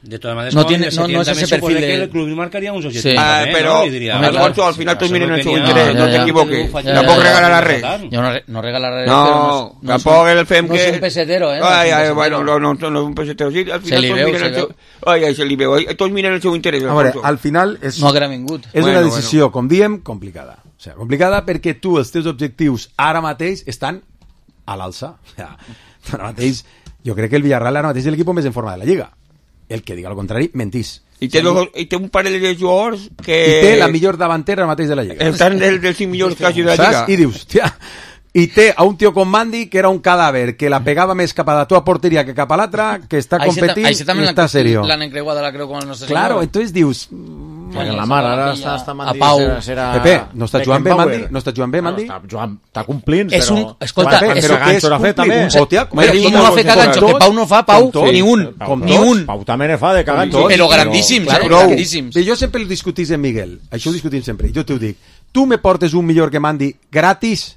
De todas maneras, No con tiene- el no- no Setién es ese también se perfil supone de- que el club marcaría unos objetivos. Sí. Ah, también, pero, ¿no? Y diría, Hombre, vale, Alfonso, al si final acaso todos miren no en su tenía- interés, ya, no ya, te ya. equivoques. Ya, Tampoco ya, ya, regala la ya, red. ya. Yo no, re- no regala la red, No, pero no, es- no tampoco es un- el F E M no que... es un pesetero, ¿eh? No Ay, es un ay, pesetero. bueno, no, no, no, no es un pesetero. Sí, al final Se li todos veu, miren se el seu... veu. Ai, ai, se li veu. Ai, Tots miren el seu interès, A veure, Alfonso. al final és, No haguera vingut. és Bueno, una decisió, com diem, complicada. O sigui, complicada perquè tu, els teus objectius ara mateix estan a l'alça. O sigui, ara mateix, jo crec que el Villarreal ara mateix és l'equip més en forma de la Lliga. El que diga el contrari, mentís. I té, dos, i té un parell de jugadors que... I té la millor davantera ara mateix de la Lliga. Estan dels, dels cinc millors quasi de la Saps? Lliga. I dius, hòstia, i té a un tio com Mandy que era un cadàver, que la pegava més cap a la tua porteria que cap a l'altra, que està Ahí se ta- competint ahí se i también està la- serio. la han encreuado la creo con el nuestro Claro, señor. entonces dius, Perquè la mar ara està, està A Mandy, Pau. serà, serà Pepe, no està jugant bé, Beckenbauer. Mandy? No està jugant bé, Bueno, Mandy? està, jugant, està complint, És però... un- escolta, Quan- és però un- ganxo l'ha fet, també. Hòstia, Però com i tots, no ha fet com ganxo, tots, que Pau no fa, Pau, com tots, ni un, Pau, ni tots. un. Pau també ne fa de caganxo. tots. Però grandíssims, Claro, eh? prou. grandíssims. Bé, jo sempre el discutís amb Miguel, això ho discutim sempre, i jo t'ho dic, tu me portes un millor que Mandy gratis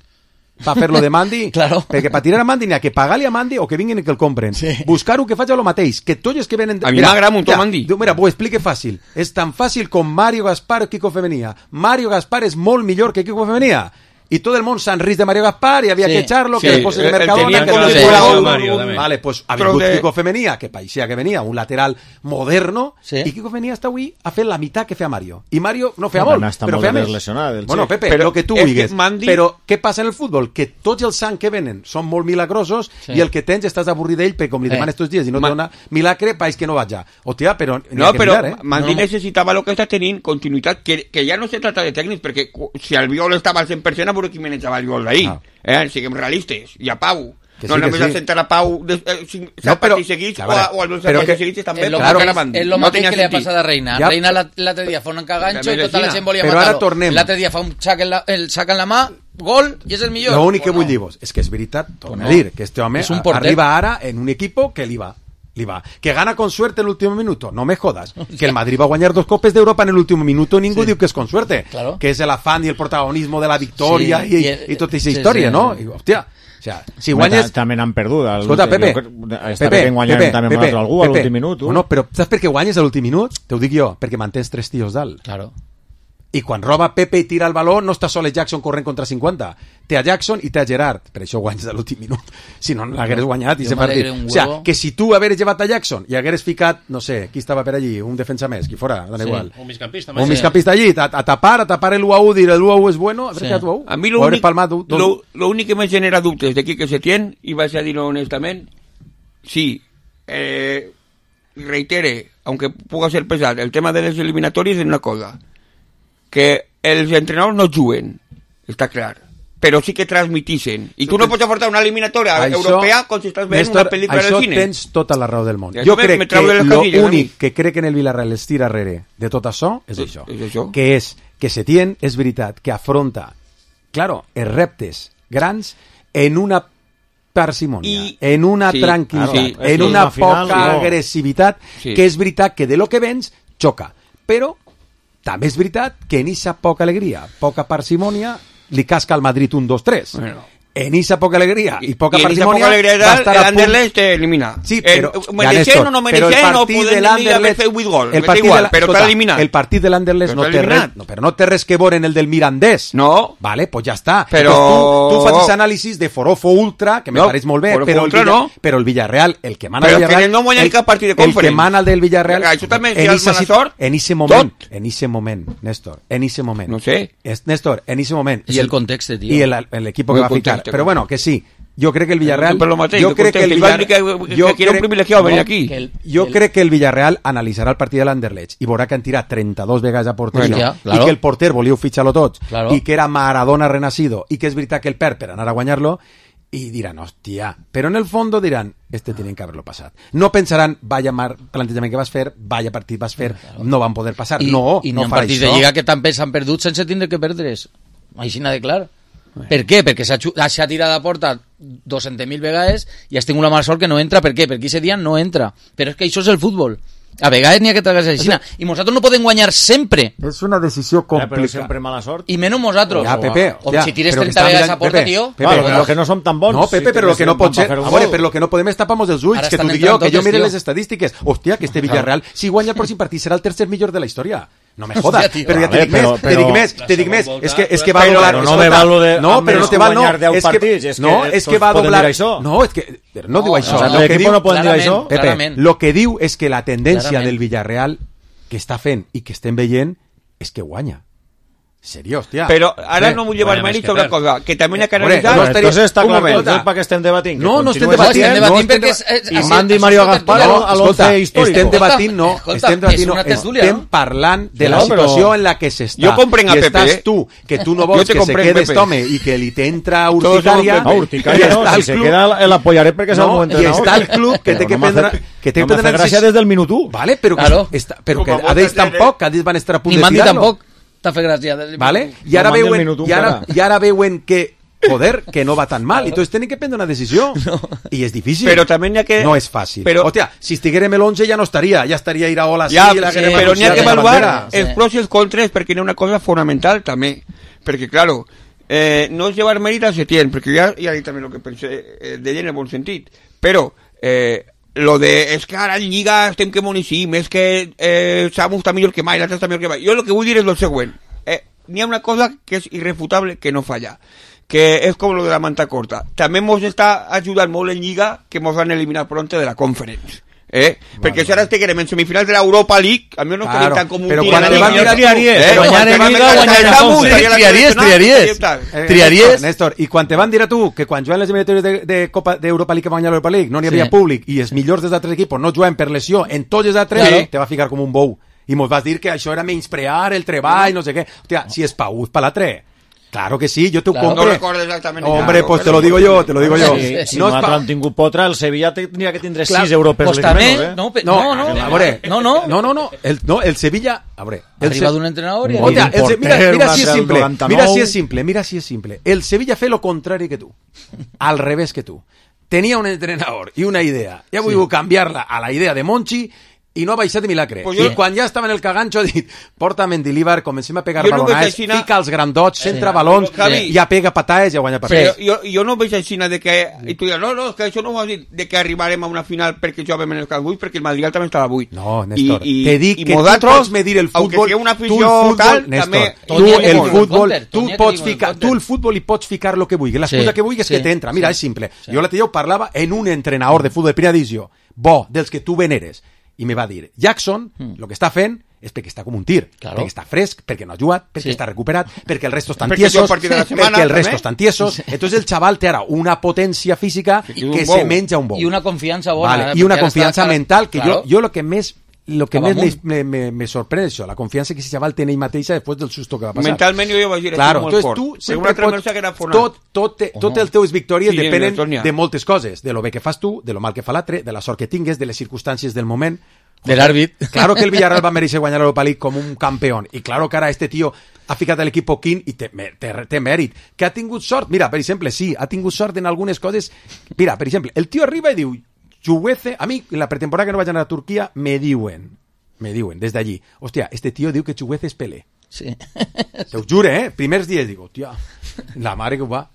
per fer-lo de Mandy, Claro. perquè per tirar a Mandy n'hi ha que pagar-li a Mandy o que vinguin i que el compren. Sí. Buscar-ho que faci el mateix, que tots els que venen... A mi m'agrada molt Mandy. Diu, mira, ho explique fàcil. És tan fàcil com Mario Gaspar o Kiko Femenia. Mario Gaspar és molt millor que Kiko Femenia. I tot el món s'han rist de Mario Gaspar i havia Sí. que echarlo, Sí, que después de el- el Mercadona, tenien que con no el sé de qué. Mario Mario también. Vale, pues ha Però vingut de- Kiko Femenia, que parecía que venia, un lateral moderno, Sí. i Kiko Femenia està avui a fer la meitat que feia Mario. I Mario no feia No, molt, però està però molt feia més més. lesionat, el Bueno, xic. Pepe, Però lo que tu és que vulguis. Mandy- Però què passa en el futbol? Que tots els sang que venen són molt milagrosos Sí. i el que tens estàs avorrit d'ell perquè com li Eh. demanes tots dies i no Ma- te dona milagre, país que no vaja. Hòstia, però n'hi No, ha que però mirar, eh? Mandy No. necessitava el que està tenint, continuïtat, que, que ja no se trata de tècnics, perquè cu- si el Viol estava al cent per cent, a veure qui manejava el Viol d'ahir. Ah. Eh? Siguem realistes. I a Pau. Que no sí, que només sí. a sentar a Pau de, eh, cinc, No, set però- partits seguits a o, veure, a, o els però partits que- seguits també. És lo perquè mateix- era Mandy. és lo No mateix tenia que li ha sentit. passat a Reina. Ja, Reina la- l'altre dia fa un encaganxo També i tota la vecina. gent volia Però matar-lo. ara tornem. L'altre dia fa un sac en la, el sac en la mà, gol, i és el millor. L'únic que Pues vull no. dir-vos és que és veritat, torno Pues a no. dir, que este home És un a- porter. arriba ara en un equipo que li va. Li va. Que gana con suerte en el último minuto. No me jodas. Que el Madrid va a guanyar dos copes d'Europa en el último minuto. Ningú diu que és con suerte. Claro. Que és el afán i el protagonismo de la victòria Sí, i, i i, el- i tota aquesta sí, història, sí, no? sí. I, hòstia, o sea, si Home, guanyes... ta- també n'han perdut. al Escolta, últim- Pepe, jo crec- Està Pepe, ben guanyant Pepe, també amb un Pepe, altre algú a Pepe. l'últim minut. Bueno, però saps per què guanyes a l'últim minut? Te ho dic jo, perquè mantens tres tios dalt. Claro. I quan roba Pepe i tira el baló, no està sol el Jackson corrent contra cinquanta. Té a Jackson i té a Gerard. Per això guanyes a l'últim minut. Si no, no l'hagueres guanyat i Jo se partit. m'alegre un O sea, huevo. que si tu hagueres llevat a Jackson i hagueres ficat, no sé, qui estava per allí, un defensa més, qui fora, da Sí. igual. Un migcampista. Un migcampista allí, a, a tapar, a tapar el u a u, dir el u a u és bueno, haver Sí. quedat u a u. A mi O haver l'únic palmat du- dos- lo, lo únic que me genera dubtes de Quique Setién, i vaig a dir-ho honestament, sí, eh, reitere, aunque puga ser pesat, el tema de les eliminatòries és una cosa, que els entrenadors no juguen, està clar, però sí que transmitixen. I tu no pots aportar una eliminatòria Això, europea com si estàs veient Néstor, una pel·lícula això del cine. tens tota la raó del món. I Jo això me- crec me trau de que les casilles, l'únic a mi. que crec que en el Villarreal es tira darrere de tot això és És- això. és això. Que és que Setién, és veritat, que afronta, claro, els reptes grans en una parsimònia, I- en una sí, tranquil·litat, sí, en sí, una al final, poca no. agressivitat, Sí. que és veritat que de lo que vens xoca. Però també és veritat que en aquesta poca alegria, poca parsimònia, li casca al Madrid un dos tres. Bueno. En esa poca alegría y poca I en esa parsimonia poca alegria va a de estar el a punt. Anderlecht te elimina. Sí, Eh, però, mereixent Néstor, o no però el mereixent, o partit podem de dir l'Anderlecht- haver fet vuit gols. el M'és partit igual, de la- però escolta, t'ha eliminat. El partit de l'Anderlecht Però no t'ha té res, eliminat. no, però no té res que veure en el del Mirandés. No. Vale, pues ja està. Però- Pues tu, tu facis anàlisis de Forofo Ultra, que me No, pareix molt bé, Forofo però el, Ultra Villa, no. però el Villarreal, el que mana Però el que Villarreal... no guanya ni cap partit de El que Conference. mana el del Villarreal... Això també és en ja esa mala sit- sort. En ese moment, Tot. en ese moment, Néstor, en ese moment. No sé. Es, Néstor, en ese moment. És I el context, tio. I el, el equipo que El va a ficar. contexto. Però bueno, que sí. Jo crec que el Villarreal... Per lo mateix, jo el crec que el contexto. Igual Villarreal... que- que- que era un privilegiado venir aquí. Que el- Jo el- crec que el Villarreal analitzarà el partit de l'Anderlecht i veurà que han tirat trenta-dos vegades a porteria Bueno, ja, i claro. que el porter volíeu fitxar-lo tots Claro. i que era Maradona renacido i que és veritat que el perd per anar a guanyar-lo i diran, hòstia, però en el fondo diran, este tienen que haberlo passat. No pensaran, vaya mar plantejament que vas fer, vaya partit vas fer, no van poder passar. I, no, i no n'hi ha farà partits això. de Lliga que també s'han perdut sense tindre que perdre's. Així n'ha de clar. Per què? Perquè s'ha xu- s'ha tirat a porta dues-centes mil vegades i has tingut la mala sort que no entra. Per què? Perquè aquest dia no entra. Però és que això és el futbol. A vegades n'hi ha que tragar-se així. I nosaltres no podem guanyar sempre. És una decisió Ja, però complicada. sempre mala sort. I menys nosaltres. Ja, Pepe, O ja, si tires però que trenta està vegades mirant- a porta, Pepe, tio. Pepe, Vale, però però que no som tan bons. No, Pepe, Si però lo que no pot ser... fer un A veure, gol. però lo que no podem és tapar-nos els ulls, Ara que t'ho estan dic jo, entrant que jo totes, mire tio. les estadístiques. Hòstia, que este Villarreal, si guanya el pròxim partit, serà el tercer millor de la història. No me jodas, Hòstia, tio. però ja te Vale, dic més, però- te dic però- més, te dic La més. segona És que, és volta- que va a Però doblar... no escolta, me val lo de- No, amb però no els te val, no. guanyar deu És que, partits, és que no, és que tots va a poden doblar... dir això. No, és que... Però no diu això. O sigui, Lo que l'equip diu- no poden dir clarament, això? Pepe, clarament. lo que diu és que la tendència Clarament. del Villarreal que està fent i que estem veient és que guanya. Serio, hòstia. Però ara Eh, no vull llevar bueno, mèrit més que sobre per. una cosa, que també n'hi ha que Hombre, analitzar... no Bueno, estaria- entonces està un clar, moment. entonces para que estem debatint. No, no estem continuen debatint, dient, estem no debatint estem perquè és... debat- és- I és- mandi és Mario una Gaspar tertúlia. a l'once Escolta, històric. estem debatint, no, Escolta, estem és debatint, no, una tertúlia, estem no? parlant de la No, però- situació en la que s'està. Jo comprenc a I Pepe, estàs eh? tu, que tu no Jo vols te que se comprenc, quede Pepe. este home i que li t'entra Todos urticària. somos No, urticària i no, està si el se club- queda l'apoyaré perquè és el No, meu i entrenador. està el club que té que Però no m'ha prendre... fet- Que té no que m'ha prendre fet gràcia des del minut u. Vale, però que, Claro. està, però que Com a a d'ells molta gent, tampoc, que a d'ells van estar a punt Ni de Mandi tirar-lo. tampoc t'ha fet gràcia. Vale? I ara No mandi el veuen, minut un i ara, encara. i ara veuen que, joder, que no va tan mal. I entonces tenen que prendre una decisió. I és difícil. Però també n'hi ha que... No és fàcil. Però- Hòstia, si estiguérem el once ja no estaria. Ja estaria Iraola sí, Ja, i la sí, Guerrera però n'hi ha Manucià que de la evaluar bandera. Sí. els pros i els contres perquè n'hi ha una cosa fonamental també, perquè claro, eh, no és llevar mèrit a Setién, perquè ja, ja he dit també el que pensé eh, d'ell en el bon sentit, però eh, lo de és que ara en Lliga estem que moníssim, és que eh, Samu està millor que mai, l'altre està millor que mai. Jo el que vull dir és el següent, eh, n'hi ha una cosa que és irrefutable que no falla, que és com lo de la manta corta. També mos està ajudant molt en Lliga que mos van eliminar pronto de la Conference. Eh? Vale, perquè si ara estiguem en semifinals de l'Europa League, a mi no Claro, tenim tan com un però tio quan de te la van Lliga. mirar triaries, Eh, guanyar quan te en van Lliga, mirar guanyar en el Samu, Conference. estaria la Triaries, seleccionada, triaries. i tal. Eh, Triaries. Néstor, Néstor, i quan te van dir a tu que quan juguen les eliminatòries de, de Copa d'Europa League que van guanyar l'Europa League no n'hi havia Sí. públic i els millors dels altres equipos no juguen per lesió en tots els altres, Claro. te va ficar com un bou. I mos vas dir que això era menysprear el treball, no sé què. Hòstia, si és pa ús, pa l'altre. Claro que sí, yo te Claro. compro. No recuerdo exactamente. Hombre, claro, pues te pero- lo digo yo, te lo digo yo. Si, si No es nosaltres pa- hem tingut potra, el Sevilla tindria que tindre Clar, sis europeus Pues menos, també, eh? no, pe- No, no, no, a veure, no, no. no, no, no, el, no, el Sevilla, a veure, el Arriba Se- d'un entrenador i... Un Hòstia, un el Se- mira, porter, mira un si és altre del simple, noranta-nou. mira si és simple, mira si és simple. El Sevilla fe lo contrari que tu, al revés que tu. Tenia un entrenador i una idea, i ha volgut canviar-la a la idea de Monchi i no ha baixat de milagre. Pues I jo- quan ja estava en el cagancho ha dit, porta Mendilibar, comencem a pegar Jo no veig balonades, així na- fica els grandots, centra Sí. balons, Javi. ja pega patades i ja guanya Però partits. jo, jo no veig així de que... I tu diràs, no, no, és que això no ho vas dir, de que arribarem a una final perquè jugàvem en el camp buit, perquè el Madrid també estava buit. No, Néstor, I, i, te dic i que tu nosaltres, pots medir el aunque futbol, sigui una tu el afició futbol, tal, Néstor, també... tu Tonya que el diu en futbol, contra, tu Tonya que pots diu en ficar, contra. tu el futbol hi pots ficar lo que vulguis, l'excusa Sí, que vulguis sí, que t'entra. Mira, sí, és simple. sí. Jo l'altre dia ho parlava en un entrenador de futbol de primera divisió, bo, dels que tu veneres, i me va dir, Jackson, el que està fent és perquè està com un tir, Claro. perquè està fresc, perquè no ha jugat, perquè Sí. està recuperat, perquè el resto estan Perquè tiesos, juga el partit de la setmana, perquè el resto també. estan tiesos. Entonces el chaval té ara una potència física Que que, un bou. se menja un bou. I una confiança bona. Vale, eh, y una perquè ara confianza està- mental que claro. yo, yo lo que més lo que Acaba més amunt. me, me, me sorprende és això, la confiança que ese chaval té en ell mateixa després del susto que va passar. Mentalment jo vaig dir, Claro, molt entonces fort. tu Però sempre una altra pots, cosa que era fonat. tot, tot, te, tot els teus victòries Sí, depenen Antonia. de moltes coses, de lo bé que fas tu, de lo mal que fa l'altre, de la sort que tingues, de les circumstàncies del moment. De l'àrbit. Claro que el Villarreal va mereixer guanyar l'Europa League com un campeón, i claro que ara este tio ha ficat a l'equip poquín i té, té, té mèrit. Que ha tingut sort? Mira, per exemple, sí, ha tingut sort en algunes coses. Mira, per exemple, el tio arriba i diu, Chuguece, a mi, en la pretemporada que no vaig anar a Turquia, me diuen, me diuen, des d'allí, hòstia, este tio diu que Chuguece és Pelé. Sí. Te ho jure, eh? Primers dies digo, hòstia, la mare que ho va.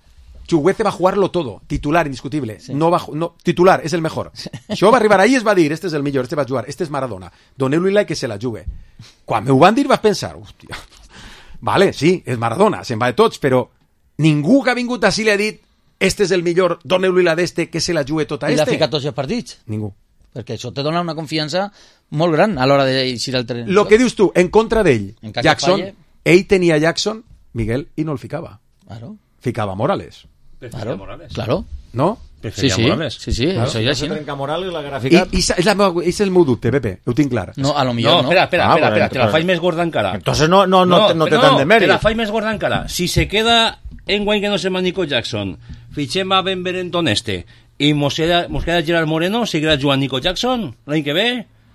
Chuguece va jugarlo todo, titular, indiscutible. Sí. No va, no, titular, és el mejor. Sí. Això va arribar ahí i es va dir, este és el millor, este va jugar, este és Maradona. Doneu-li que se la jugue. Quan me ho van dir vas pensar, hòstia, vale, sí, és Maradona, se'n va de tots, però ningú que ha vingut així li ha dit este és el millor, doneu-li la d'este, que se la jugue tota I l'ha este. ficat tots els partits. Ningú. Perquè això te dona una confiança molt gran a l'hora d'eixir al terreny. Lo que dius tu, en contra d'ell, En cas que Jackson, falle. ell tenia Jackson, Miguel, i no el ficava. Claro, Ficava Morales, claro, Morales. claro. no? Sí, Preferia sí, Morales. sí, sí, Claro, això ja no se sí. trenca moral i la I, graficat. i és, la meva, és el meu dubte, Pepe, ho tinc clar. No, a lo No, millor no. espera, espera, Ah, espera, bueno, espera, te la pero- faig més gorda encara. Entonces no, no, no, te- no té tant de Te mèrit. la faig més gorda encara. Si se queda en guany que no se llama Nico Jackson, fitxem a Benverenton este, i mos queda, mos queda Gerard Moreno, seguirà jugant Nico Jackson l'any que ve?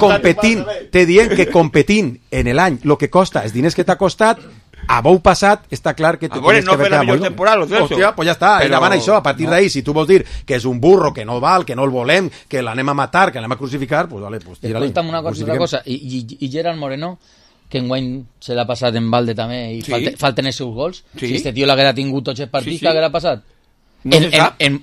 competint, te dient que competint en l'any el que costa, els diners que t'ha costat, a bou passat, està clar que te A veure, tienes no que fer la haver millor quedat temporada, molt bé. Celso. Hòstia, pues ja està, Però- endavant això, a partir d'ahí, si tu vols dir que és un burro, que no val, que no el volem, que l'anem a matar, que l'anem a crucificar, pues vale, pues tira-li. Escolta'm una cosa, una cosa. I, i, i Gerard Moreno, que enguany se l'ha passat en balde també i Sí. falte, falten els seus gols. Sí. Si este tio l'haguera tingut tots els partits, Sí, sí. què haguera passat? No en, se en, sap. en,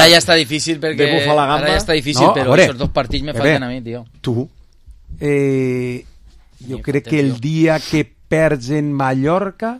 Ara ja està difícil perquè... de bufa la gamba. Ara ja està difícil, No, a però veure, aquests dos partits me a veure, falten a mi, tio. Tu, eh, jo Ni crec falta, que el tio. dia que perds en Mallorca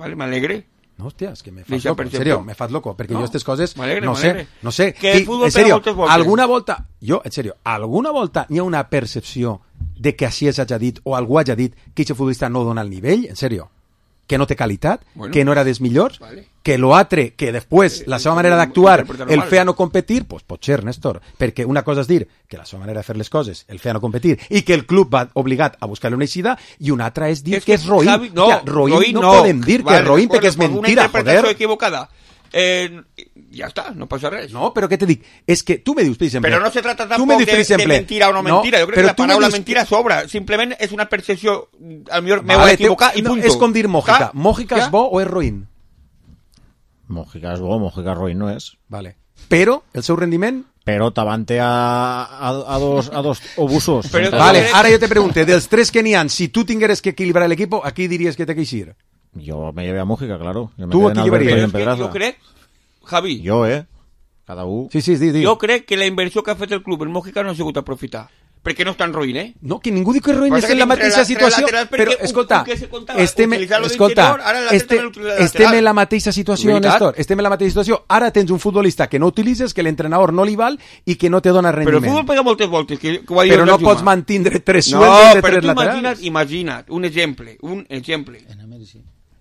Vale, me alegre. No, hòstia, és que me fas Deixa loco, en percepció. serio, me fas loco, perquè No, jo aquestes coses, m'alegre, no sé, m'alegre. no sé, Que el I, futbol en pega serio, moltes voltes. alguna volta, jo, en serio, alguna volta hi ha una percepció de que així hagi dit, o algú hagi dit que aquest futbolista no dona el nivell, en serio, que no té qualitat, Bueno. que no era dels millors, Vale. que l'altre, que després la seva manera d'actuar interpretar-ho el mal. feia no competir, pues pot ser, Néstor, perquè una cosa és dir que la seva manera de fer les coses el feia no competir i que el club va obligat a buscar-li una eixida, i una altra és dir És que és roïn. Javi, no, Hòstia, roïn, roïn no, no. podem dir que Vale, és roïn de perquè és acuerdo, pues mentira, una interpretació joder. equivocada. Eh, ja està, no passa res. No, però què te dic? És que tu me dius, per exemple... Però no se trata tu me tampoc dius, de, per exemple, de mentira o no mentira. Jo crec però que la tu me paraula dius- mentira sobra. Simplement és una percepció, al millor me Vale, vaig equivocar te- i no, punto. és com dir Mójica. Ja? Mójica Ja? és bo o és roïn? Mojica és bo, Mojica roïn no és. Vale. Però el seu rendiment... Però t'avante a, a, a, dos, a dos obusos. Però- Entonces, Vale, crec- ara jo te pregunte, dels tres que n'hi ha, si tu tingueres que equilibrar l'equip, a qui diries que té que eixir? Yo me llevé a Mojica, claro. Yo me Tú quedé aquí en Alberto llevarías. y Però en és que Pedraza. jo crec, Javi, Yo, eh? Cada u. Sí, sí, di, di. jo crec que la inversió que ha fet el club en Mójica no ha sigut aprofitar. Perquè no està en roïn, eh? No, que ningú diu que roïn Passa és en que la entre mateixa la- entre situació, laterals, perquè però, un- escolta, un que se contava, estem, utilitzar-lo escolta, d'interior, ara l'altre este, també l'utilitza de estem lateral. en la mateixa situació, Veritat? Néstor, estem en la mateixa situació. Ara tens un futbolista que no utilitzes, que l'entrenador no li val i que no te dona Però el rendiment. futbol pega moltes voltes, que, que ho ha dit Però el no Juma. pots mantindre tres No, sueldos de però tres tu laterals. imagina't, imagina't, un exemple, un exemple.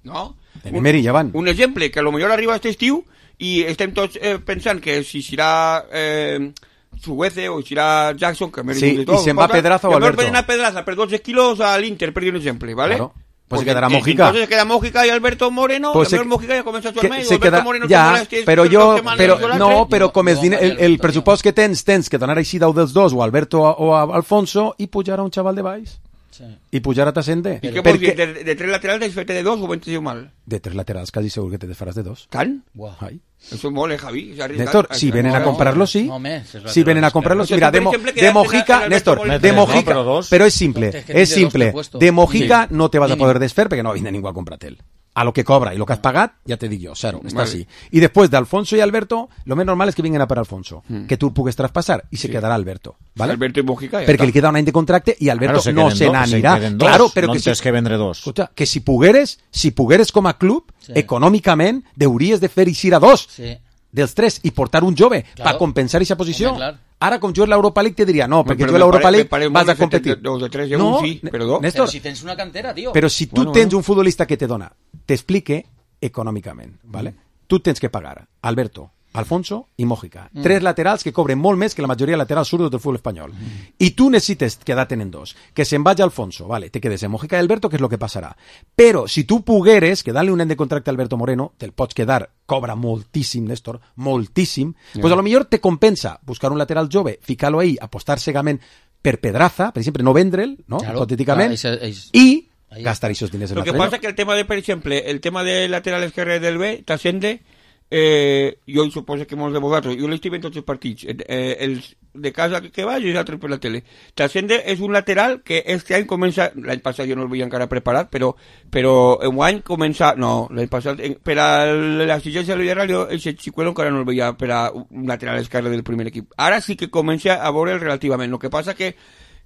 No? En Emery ja van. Un exemple, que a lo millor arriba aquest estiu i estem tots eh, pensant que si serà eh, Suguece o serà Jackson, que m'he Sí, dit de tot, i se'n va cosa, Pedraza o i a lo millor Alberto. poden anar Pedraza per dotze quilos a l'Inter, per dir un exemple, ¿vale? Claro. Pues Porque, se quedará eh, Mójica. Entonces queda Mójica y Alberto Moreno, Pues a lo se- mejor Mójica ja comença a que jugar-me, i se Alberto queda, Moreno ja, te molestes però per jo, dos setmanes però, o l'altre. no, però com és No, diner, no, el, el no. pressupost que tens, tens que donar així deu dels dos, o a Alberto o a, o a Alfonso, i pujar a un xaval de baix. Sí. I pujar a Tassende. I què vols dir? De, de tres laterals desfete de dos o ho entendiu mal? De tres laterals, quasi segur que te desfaràs de dos. Tant? Buah. Ai. Eso es mole, Javi. és arriesgat. Néstor, si venen a no, comprarlo, sí. no, més, és Si venen a laterals, comprarlo, O sí. sea, Mira, tú, de, por Mo- ejemplo, de quedaste en Mojica, Alberto Néstor, Moreno. de No, Mojica, pero dos. però és simple, Es que és tiene dos simple. prepuestos. De Mojica Sí. no te vas a Mínim. poder desfer perquè no vindrà ningú a comprar-te'l. A lo que cobra i lo que has pagat, ja te dic jo, cero, està Vale. així. I després d'Alfonso i Alberto, lo més normal és que vinguin a per Alfonso, que tu el pugues traspassar i se quedarà Alberto, ¿vale? Alberto i Mójica, ja Perquè està. li queda un any de contracte i Alberto Claro, se no queden se dos, se n'anirà. queden dos. Claro, però no que si, tens que vendre dos. escolta, que si pogueres, si pogueres com a club, Sí. econòmicament, hauries de fer eixir a dos Sí. dels tres i portar un jove Claro. per compensar aquesta posició. Home, clar. Ara, com jo en l'Europa League, te diria, no, perquè Però jo me a l'Europa pare- me League pare vas molt a de competir. setenta- dos de tres, jo un sí, però dos. Néstor, Però si tens una cantera, tio. però si tu Bueno, tens bueno. un futbolista que te dona, t'explique econòmicament, ¿vale? Tu tens que pagar Alberto, Alfonso i Mójica. Mm. Tres laterals que cobren molt més que la majoria de laterals zurdos del futbol espanyol. I tu necessites quedar-te'n en dos. Que se'n vagi Alfonso, vale, te quedes en Mójica i Alberto, que és lo que passarà. Però si tu pogueres quedar-li un any de contracte a Alberto Moreno, te'l pots quedar, cobra moltíssim, Néstor, moltíssim, yeah. pues a lo millor te compensa buscar un lateral jove, ficar-lo ahí, apostar cegament per Pedraza, per exemple, no vendre'l, no? Claro, hipotèticament, clar, és- és- i ahí. gastar aquests diners en Lo que l'altre pasa es que el tema de, por ejemplo, el tema del lateral esquerre del B, Tassende, eh, jo suposo que molts de vosaltres, jo l'estic veient tots els partits, eh, els de casa que vaig i altres per la tele. Tassende és un lateral que este any comença, l'any passat jo no el veia encara preparat, però, però en any comença, no, l'any passat, en- per a l'exigència del Villarreal, jo el xicuelo encara no el veia per a un lateral esquerre del primer equip. Ara sí que comença a veure'l relativament, el que passa que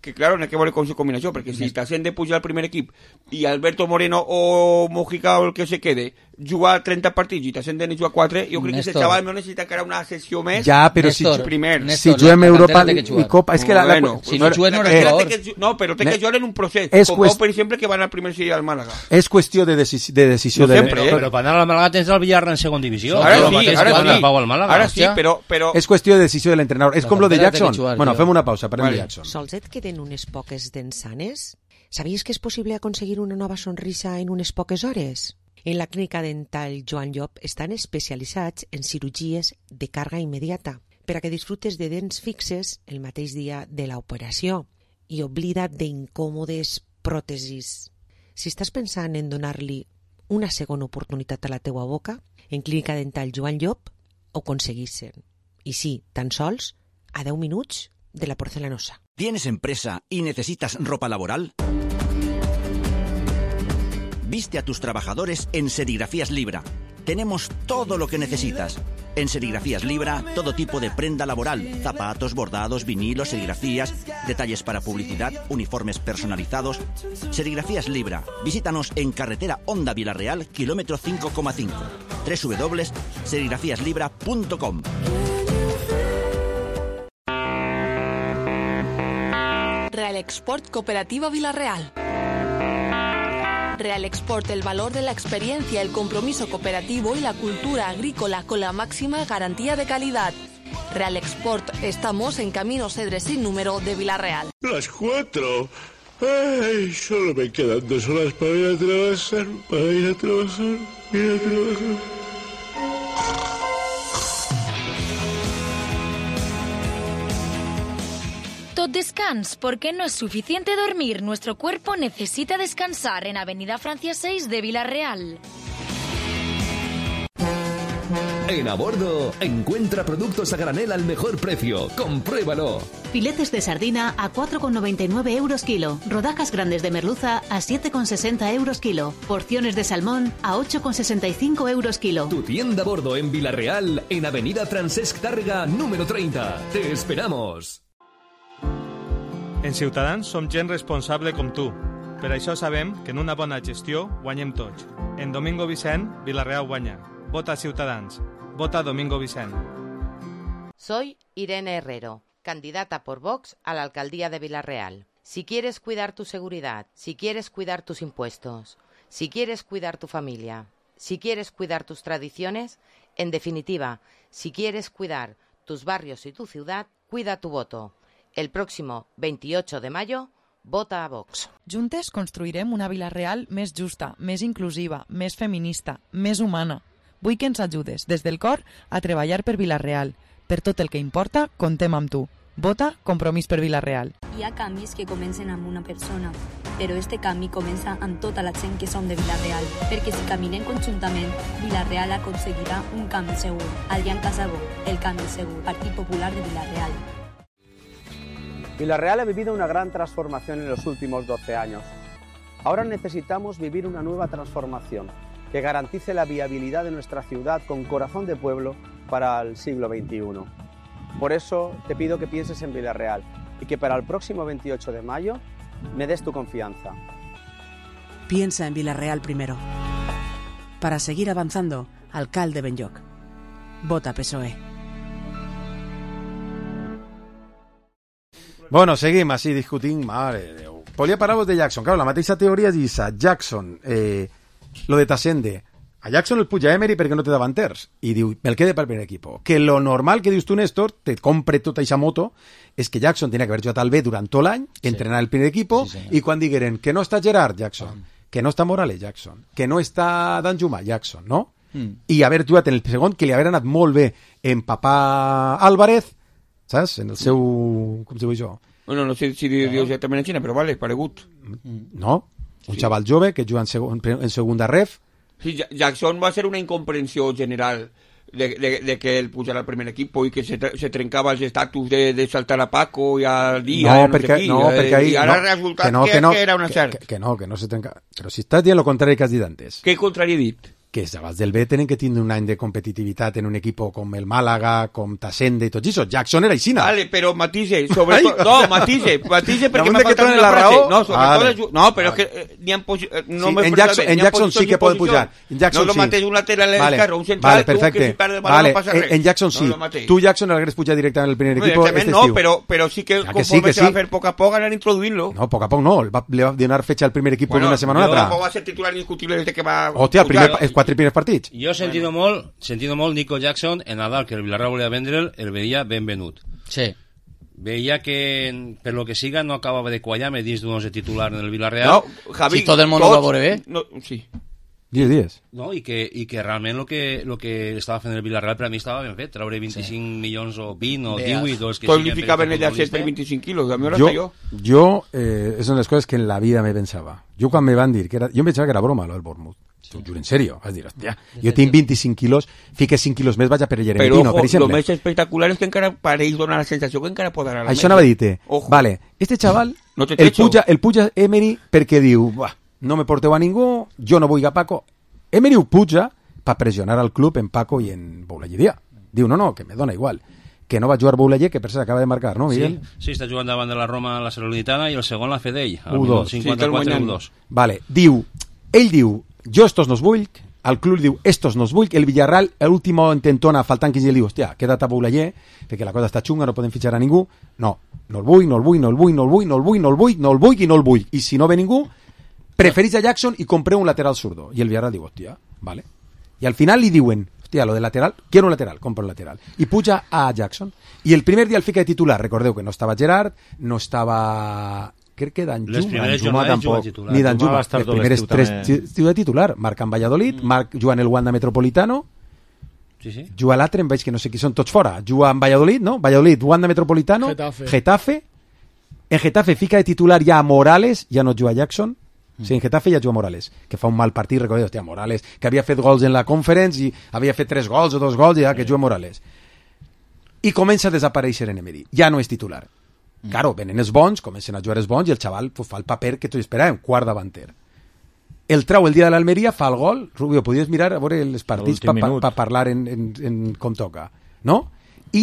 que claro, no hay que veure con su combinació, perquè si Tassende puja al primer equip i Alberto Moreno o Mójica o el que se quede jugar trenta partits i Tassende ne juga quatre, jo crec que Néstor. ese chaval no necessita encara una sessió més. Ja, però si, Néstor, primer. Néstor, si juguem la Europa cantera té que i jugar. Copa... És que la, la, Bueno, si no jugues no la eres cantera jugador. té que- no, però té Ne- que jugar en un procés. és Com qüest- Pau, per exemple, que van al primer seria al Màlaga. és qüestió de, decis de decisió No de... sempre, Però, eh? però per anar al Màlaga tens el Villarreal en segon divisió. Ara No, sí, mateix ara que anar sí. al Pau al Màlaga. Ara sí, hòstia. però... però És qüestió de decisió de l'entrenador. És La com lo de cantera té que Jackson. jugar, Bueno, tio. fem una pausa, parlem Vale. de Jackson. Sols et queden unes poques dents sanes? Sabies que és possible aconseguir una nova sonrisa en unes poques hores? En la clínica dental Joan Llop estan especialitzats en cirurgies de càrrega immediata per a que disfrutes de dents fixes el mateix dia de l'operació i oblida't d'incòmodes pròtesis. Si estàs pensant en donar-li una segona oportunitat a la teua boca, en clínica dental Joan Llop ho aconseguissin. I sí, tan sols a deu minuts de la porcelanosa. ¿Tienes empresa y necesitas ropa laboral? Viste a tus trabajadores en Serigrafías Libra. Tenemos todo lo que necesitas. En Serigrafías Libra, todo tipo de prenda laboral, zapatos, bordados, vinilos, serigrafías, detalles para publicidad, uniformes personalizados. Serigrafías Libra. Visítanos en carretera Honda Villarreal, kilómetro cinco coma cinco. doble u doble u doble u punto serigrafías libra punto com. Real Export Cooperativa Villarreal. Real Export, el valor de la experiencia, el compromiso cooperativo y la cultura agrícola con la máxima garantía de calidad. Real Export, estamos en Camino Cedres sin número de Villarreal. Las cuatro. Ay, solo me quedan dos horas para ir a trabajar, para ir a trabajar, ir a trabajar. Tot descans, porque no es suficiente dormir. Nuestro cuerpo necesita descansar en Avenida Francia seis de Villarreal. En A Bordo, encuentra productos a granel al mejor precio. ¡Compruébalo! Filetes de sardina a cuatro con noventa y nueve euros kilo. Rodajas grandes de merluza a siete con sesenta euros kilo. Porciones de salmón a ocho con sesenta y cinco euros kilo. Tu tienda a Bordo en Villarreal, en Avenida Francesc Tàrrega, número treinta. ¡Te esperamos! En Ciutadans som gent responsable com tu. Per això sabem que en una bona gestió guanyem tots. En Domingo Vicent, Villarreal guanya. Vota Ciutadans. Vota Domingo Vicent. Soy Irene Herrero, candidata por Vox a la alcaldía de Villarreal. Si quieres cuidar tu seguridad, si quieres cuidar tus impuestos, si quieres cuidar tu familia, si quieres cuidar tus tradiciones, en definitiva, si quieres cuidar tus barrios y tu ciudad, cuida tu voto. El próximo veintiocho de mayo, vota a Vox. Juntes construirem una Villarreal més justa, més inclusiva, més feminista, més humana. Vull que ens ajudes, des del cor, a treballar per Villarreal. Per tot el que importa, contem amb tu. Vota Compromís per Villarreal. Hi ha canvis que comencen amb una persona, però este canvi comença amb tota la gent que som de Villarreal, perquè si caminem conjuntament, Villarreal aconseguirà un canvi segur. Adrián Casabó, el canvi segur, Partit Popular de Villarreal. Villarreal ha vivido una gran transformación en los últimos doce años. Ahora necesitamos vivir una nueva transformación que garantice la viabilidad de nuestra ciudad con corazón de pueblo para el siglo veintiuno. Por eso te pido que pienses en Villarreal y que para el próximo veintiocho de mayo me des tu confianza. Piensa en Villarreal primero. Para seguir avanzando, alcalde Benlloc. Vota P S O E. Bueno, seguim així discutint, mare de Déu. Volia parlar-vos de Jackson. Claro, la mateixa teoria és issa. Jackson, eh, lo de Tassende. A Jackson el puja Emery perquè no té davanters. I diu, me'l quede pel primer equipo. Que lo normal que dius tu, Néstor, te compre tota eixa moto, és que Jackson tenia que haver jugat al B durant tot l'any, sí. entrenar el primer equipo, sí, i quan digueren que no està Gerard Jackson, ah. que no està Morales Jackson, que no està Danjuma Jackson, no? Mm. I haver jugat en el segon, que li haver anat molt bé en Papà Álvarez, saps? En el seu... com se diu això? Bueno, no sé si diu no. exactament en Xina, però vale, paregut. No, un sí. xaval jove que juga en, segon, en segunda ref. Sí, Jackson va ser una incomprensió general de, de, de que él pusiera al primer equipo y que se, se trencaba el estatus de, de saltar a Paco y al día. No, no perquè, sé qui, no, eh, perquè ahí... I ara no, resulta que, no, que, que, no, que era una que, cert. Que, que no, que no se trenca. Però si estàs dient lo contrari que has dit antes. Què contrari he dit? Que els xavals del B tenen que tindre un any de competitivitat en un equipo com el Màlaga, com Tassende i tot això. Jackson era aixina. Vale, però matise, sobre tot... No, matise, matise perquè m'ha faltat una la frase. raó. No, sobre vale. tot... No, però és que eh, n'hi ha... Posi... No sí, en Jackson, en Jackson sí que pot pujar. En Jackson no lo sí. mates un lateral vale. esquerro, un central, vale, perfecte. tu que si perde el balón vale. no passa res. En Jackson sí. No tu Jackson l'hagués pujat directament al primer equipo este no, estiu. Però, però sí que ja conforme que sí, que se va sí. a fer poc a poc anar introduint-lo. No, poc a poc no. Va, le va donar fecha al primer equipo bueno, en una setmana o una altra. Tampoc va ser titular indiscutible des que va... Hòstia, el primer, els quatre primers partits. Jo sentido molt, sentido molt Nico Jackson en Nadal, que el Villarreal volia vendre'l, el veia ben venut. Sí. Veia que, per lo que siga, no acabava de quallar-me dins d'un onze titular en el Villarreal. No, Javi, si tot el món ho va veure bé. No, sí. diez dies. No, i que, i que realment el que, lo que estava fent el Villarreal per a mi estava ben fet, treure vint-i-cinc sí. milions o vint o divuit o els que siguin. Tot li ficaven ella set per vint-i-cinc quilos, a mi hora jo, jo. Jo, eh, és una de les coses que en la vida me pensava. Jo quan me van dir que era... Jo em pensava que era broma, lo del Bournemouth. T'ho juro, en serio. Vas dir, hòstia, jo tinc vint-i-cinc quilos, fique cinc quilos més, vaig a per Jerentino, Però, ojo, per exemple. Lo més espectacular és que encara pareix donar la sensació que encara pot anar a la Això anava a dir-te. Vale, este chaval, no el, puja, el puja Emery perquè diu, no me porteu a ningú, jo no vull a Paco. Emery ho puja per pressionar al club en Paco i en Boulayeria. Diu, no, no, que me dona igual. Que no va jugar Boulayer, que per cert acaba de marcar, no, Miguel? Sí, sí, està jugant davant de la Roma la Salernitana i el segon la Fedell, al u dos. cinquanta-quatre u dos. Vale, diu, ell diu, jo estos no els vull, al club li diu, estos no els vull, el Villarreal, l'última intentona, faltant quinze, li diu, hòstia, queda't a Boulayer, perquè la cosa està xunga, no podem fitxar a ningú. No, no el vull, no el vull, no el vull, no el vull, no el vull, no el vull, no el vull i no el vull. I si no ve ningú, preferís a Jackson i compreu un lateral zurdo. I el Villarreal diu, hòstia, vale. I al final li diuen, hòstia, lo de lateral, quiero un lateral, compra un lateral. I puja a Jackson. I el primer dia el fica de titular, recordeu que no estava Gerard, no estava... crec que Danjuma, Danjuma tampoc, ni Danjuma, les primeres tres de titular, marca en Valladolid, mm. Marc juga en el Wanda Metropolitano, sí, sí. juga l'altre, em veig que no sé qui són tots fora, juga en Valladolid, no? Valladolid, Wanda Metropolitano, Getafe. Getafe, en Getafe fica de titular ja a Morales, ja no juga Jackson, mm. sí, en Getafe ja juga Morales, que fa un mal partit, recordeu, hòstia, Morales, que havia fet gols en la Conference i havia fet tres gols o dos gols, ja que juga Morales. I comença a desaparèixer en Emery, ja no és titular. Claro, venen els bons, comencen a jugar els bons i el xaval pues, fa el paper que tots esperàvem, quart davanter. El trau el dia de l'Almeria, fa el gol. Rubio, podies mirar a veure els partits per pa, pa parlar en, en, en com toca, no? I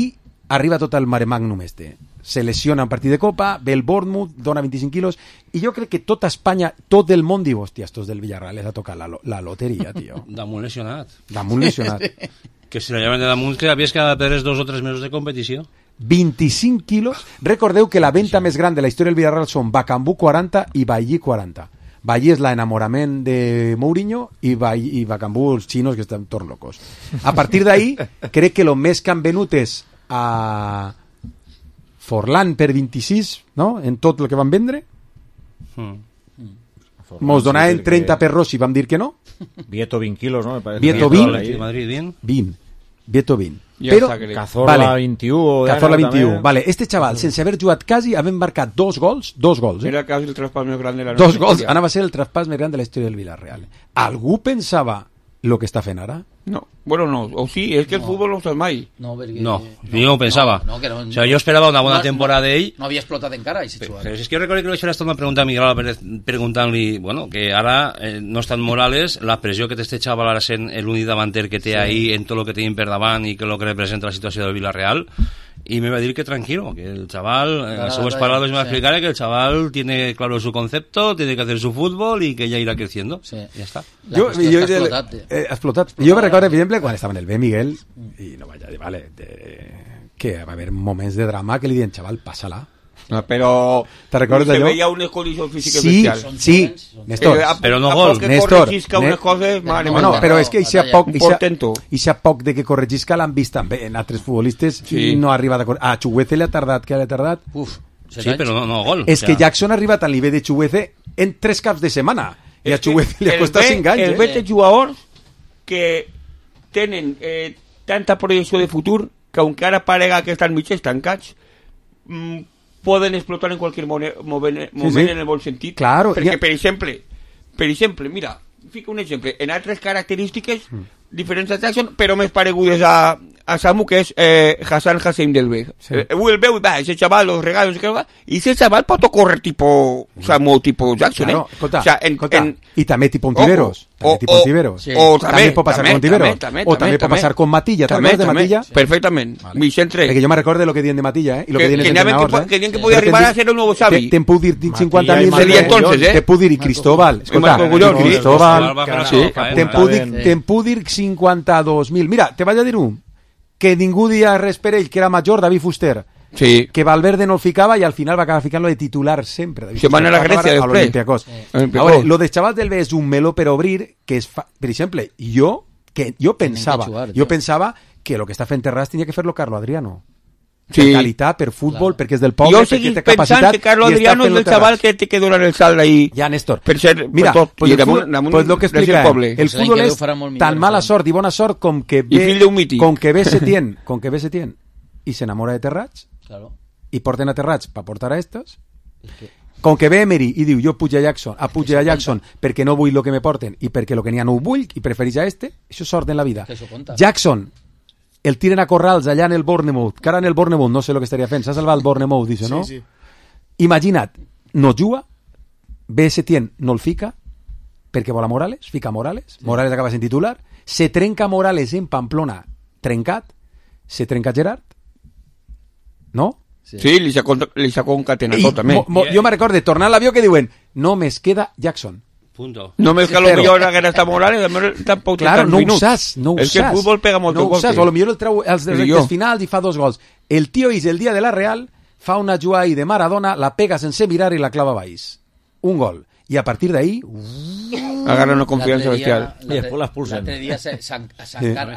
arriba tot el mare magnum este. Se lesiona en partit de Copa, ve el Bournemouth, dona vint-i-cinc quilos, i jo crec que tota Espanya, tot el món diu, hòstia, estos del Villarreal les ha tocat la, la loteria, tio. Damunt lesionat. Damunt lesionat. Que si la lleven de damunt, que havies que perdre dos o tres mesos de competició. vint-i-cinc quilos. Recordeu que la venta sí. més gran de la història del Villarreal són Bacambú quaranta i Bailly quaranta. Bailly és l'enamorament de Mourinho i, Bailly, i Bacambú els xinos que estan torn locos. A partir d'ahí, crec que el més que han venut és a Forlán per vint-i-sis, no? En tot el que van vendre. Mm. Mos donaven trenta per Rossi, vam dir que no. Vieto vint quilos, no? Vieto vint. vint. vint. Vieto vint. Ja però Cazorla vale, vint-i-u Cazorla vint-i-u, vale. Este xaval sense haver jugat quasi havent marcat dos gols, dos gols, eh? Era quasi el traspàs més gran de la dos gols, anava a ser el traspàs més gran de la història del Villarreal. Algú pensava lo que està fent ara? No, bueno, no, o sí, és que el no. futbol no ho saps mai. No, perquè... no, jo no ho pensava. No, no, que no, o sea, jo esperava una bona no, temporada d'ell. No, no havia explotat encara, aquest jugador. Però és que jo recordo que li vaig fer una pregunta a Miguel Álvarez preguntant-li, bueno, que ara eh, no està en Morales, la pressió que té este xaval ara sent l'únic davanter que té sí. ahí en tot el que tenim per davant i que lo que representa la situació del Villarreal, y me va a decir que tranquilo, que el chaval, en las suas palabras me va a explicar que el chaval tiene claro su concepto, tiene que hacer su fútbol y que ya irá creciendo. Sí. Ya está. Jo, jo, jo, explotat, eh, explotat. Jo me recordo, per exemple, quan estava en el B, Miguel, i no vaig a dir, vale, de, que va haver moments de drama que li diuen, chaval, pásala. No, però te recordes se d'allò? veia unes condicions físiques sí, bestials. Sí, Néstor. Eh, a, però no a gol. poc que Néstor. corregisca unes coses... No, no, no, no, però és que ixa poc, portento. ixa poc de que corregisca l'han vist també en altres futbolistes sí. i no arriba a... A Chuguece li ha tardat, que li ha tardat? Uf, sí, però no, no gol. És o sea. Que Jackson ha arribat al nivell de Chuguece en tres caps de setmana. I a Chuguece li ha costat cinc anys. El eh? veig de jugadors que tenen eh, tanta projecció de futur que encara parega que estan mig estancats, mmm, poden explotar en qualsevol moment, moment sí, sí. en el bon sentit. Claro, perquè, ja... per exemple, per exemple, mira, fica un exemple, en altres característiques mm. diferents a Jackson, però més paregudes a, a Samu, que és eh, Hassan Hassim del B. Sí. Eh, el veu i va, ese chaval, los regalos, y ese chaval pot correr tipo Samu, tipo Jackson, claro, eh? Escolta, o sea, en, escolta, en... i també tipo Ontiveros. O, tipo Ontiveros. Sí. O també, també pot passar també, con Ontiveros. També, també, o també, també pot passar con Matilla. ¿Te acuerdas de Matilla? Sí. Perfectament. Vale. Vicente. Perquè jo me recordo lo que diuen de Matilla, eh? Y lo que, que diuen els entrenadors, que, eh? Que diuen que podia arribar a ser el nuevo Xavi. Te, te puc dir cinquanta mil... Seria entonces, eh? Te puc dir Cristóbal. Escolta, Cristóbal. Te puc dir cinquanta dos mil. Mira, te vaig a dir un. Que ningú dia res per ell, que era major, David Fuster. Sí. Que Valverde no el ficava i al final va acabar ficant-lo de titular sempre. David Se van a la Grècia després. Olympiacos. Ahora, lo de Xaval del B és un meló per obrir, que és, fa... per exemple, jo, que jo pensava, jugar, jo pensava que lo que està fent Terràs tenia que fer-lo Carlo Adriano. Sí. Per qualitat, per futbol, claro. Perquè és del poble, jo perquè té capacitat. Jo seguís pensant que Carlo Adriano és el xaval que té que donar el salt ahí. Ja, Néstor. Per ser, mira, per tot. Pues, el, damunt, fútbol, damunt, pues lo que explica, poble. El futbol és tan mala sort i bona sort com que ve, com que ve Setién, com que ve Setién i s'enamora de Terrats, claro. I porten a Terrats per portar a estos, com que ve Emery i diu jo puja a Jackson, a puja a Jackson perquè no vull lo que me porten i perquè lo que n'hi ha no ho vull i prefereix a este, això és sort en la vida. Jackson el tiren a corrals allà en el Bournemouth, que ara en el Bournemouth no sé lo que estaria fent, s'ha salvat el Bournemouth, dice, no? Sí, sí. Imagina't, no juga, ve Setién, no el fica, perquè vol a Morales, fica a Morales, sí. Morales acaba sent titular, se trenca Morales en Pamplona, trencat, se trenca Gerard, no? Sí, sí li s'ha concatenat tot, també. Mo, mo, jo me recordo, tornar a l'avió que diuen, no, més queda Jackson. Punto. Només que a lo millor haguera estat Morales, tampoc té claro, tants no ho minuts. saps, no ho és saps. que el futbol pega molt no ho golpes. saps, o potser el treu als Però rectes jo. finals i fa dos gols. El tio és el dia de la Real, fa una jugada ahí de Maradona, la pega sense mirar i la clava baix. Un gol. I a partir d'ahí... Agarra una confiança bestial. I després l'expulsen. L'altre dia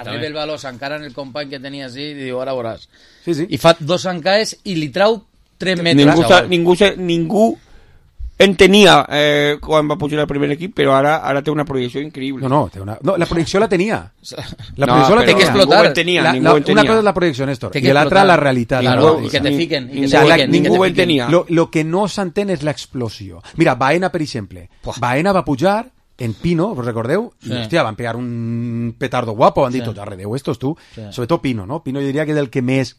arriba el valor, s'encara en el company que tenia així i diu, ara veuràs. Sí, sí. I fa dos encaes i li trau tres metres. Ningú, sa, ningú, sa, ningú entenia eh, quan va pujar al primer equip, però ara ara té una projecció increïble. No, no, té una... no la projecció la tenia. La No, projecció la però tenia. ningú ho entenia, la, ningú la, ho entenia. Una cosa és la projecció, Néstor, Té que i l'altra explotar. la realitat. Claro, no, i que te fiquen. I que o sea, te la, fiquen, ningú i que ho te entenia. fiquen. Lo, lo que no s'entén és l'explosió. Mira, Baena, per exemple. Baena va pujar en Pino, ¿os recordeu? Sí. Y, hostia, van pegar un petardo guapo, van Sí. dit, arredeu estos tú. Sí. Sobre todo Pino, ¿no? Pino jo diria que és el que més...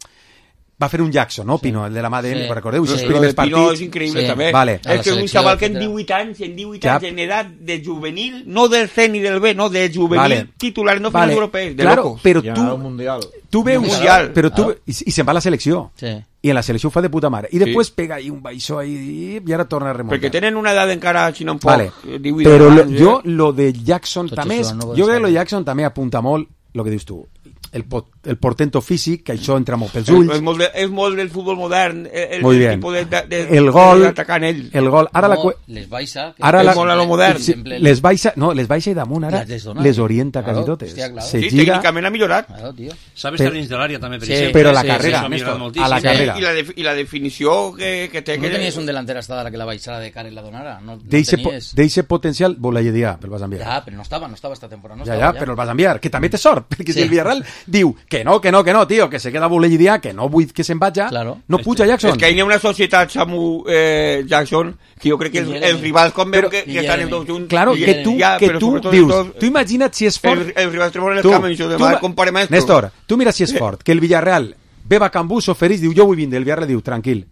Va fer un Jackson, no? Pino, el de la mà d'ell, Sí. recordeu? Sí. Esos Sí. primers Lo de Pino partits. és increïble, sí. també. Vale. És que és un xaval que en divuit anys, en divuit Ja. anys, en edat de juvenil, no del C ni del B, no, de juvenil Vale. titular, no Vale. finals europeus, de Claro, locos. però Ja, tu- un mundial. Tu veus, Mundial. però tu, Claro. i, i se'n va a la selecció. Sí. I en la selecció ho fa de puta mare. I Sí. després pega ahí un baixó ahí i ara torna a remuntar. Perquè tenen una edat encara, si no en poc, Vale. divuit Però lo, anys, jo, eh? lo de Jackson Tot també això és, no ho jo crec que saber. lo de Jackson també apunta molt el que dius tu. El, pot, el portento físic, que això entra molt pels És, ulls. és, molt de, és molt del futbol modern, el, Muy el bien. tipus de, de, de, El gol, d'atacar en ell. el gol. Ara la, No, cue- les baixa. que ara és la, molt a lo modern. sí, les baixa, no, les baixa i damunt ara Les desdona. les orienta Claro, quasi totes. hòstia, claro. Se Sí, gira, tècnicament ha millorat. Claro, tio. Sabe Però- estar dins de l'àrea també, per Sí, exemple. però la sí, carrera, Això ha millorat Néstor, moltíssim. a la Sí. carrera. I la, de, i la definició que, que té... No que tenies un delanter hasta ara que la baixada de cara i la donara. No, no D'eixe po tenies... d'eixe potencial vol la lledia, el vas enviar. Ja, però no estava, no estava esta temporada. No Ja, estava, ja, però el vas enviar, que també té sort, perquè si el Villarreal diu que no, que no, que no, tio, que se queda Bolellidia, que no vull que se'n vaja, Claro. no puja Jackson. És que hi ha una societat, Samu eh, Jackson, que jo crec que els, els rivals, com veu que, que estan tots junts... Claro, i- que tu, ja, que però tu sobretot dius, tot, tu imagina't si és fort... Els, els rivals treuen el Tu, camp i això de tu mal, ma- compare maestro. Néstor, tu mira si és fort, que el Villarreal ve a Cambú, s'ofereix, diu, jo vull vindre, el Villarreal diu, tranquil,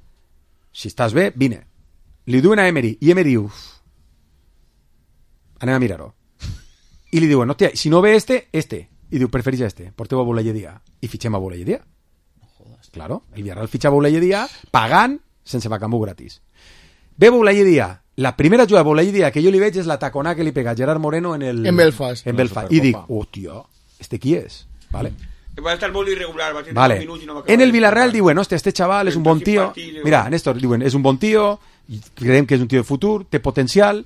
si estàs bé, vine. Li diuen a Emery, i Emery diu, anem a mirar-ho. I li diuen, hòstia, si no ve este, este. I diu, prefereix este, porteu a Bolelledia. I fitxem a Bolelledia. Claro, el Villarreal fitxa a Bolelledia pagant sense Bacambú gratis. Ve Bolelledia. La primera jugada de Bolelledia que jo li veig és la taconà que li pega Gerard Moreno en el... En Belfast. En Belfast. I dic, hòstia, este qui és? Vale. Va estar molt irregular, va tenir Vale. dos minuts i no va acabar En el de Villarreal jugar. diuen, hòstia, este chaval és un bon tio. Mira, Néstor, diuen, és un bon tio, creiem que és un tio de futur, té potencial.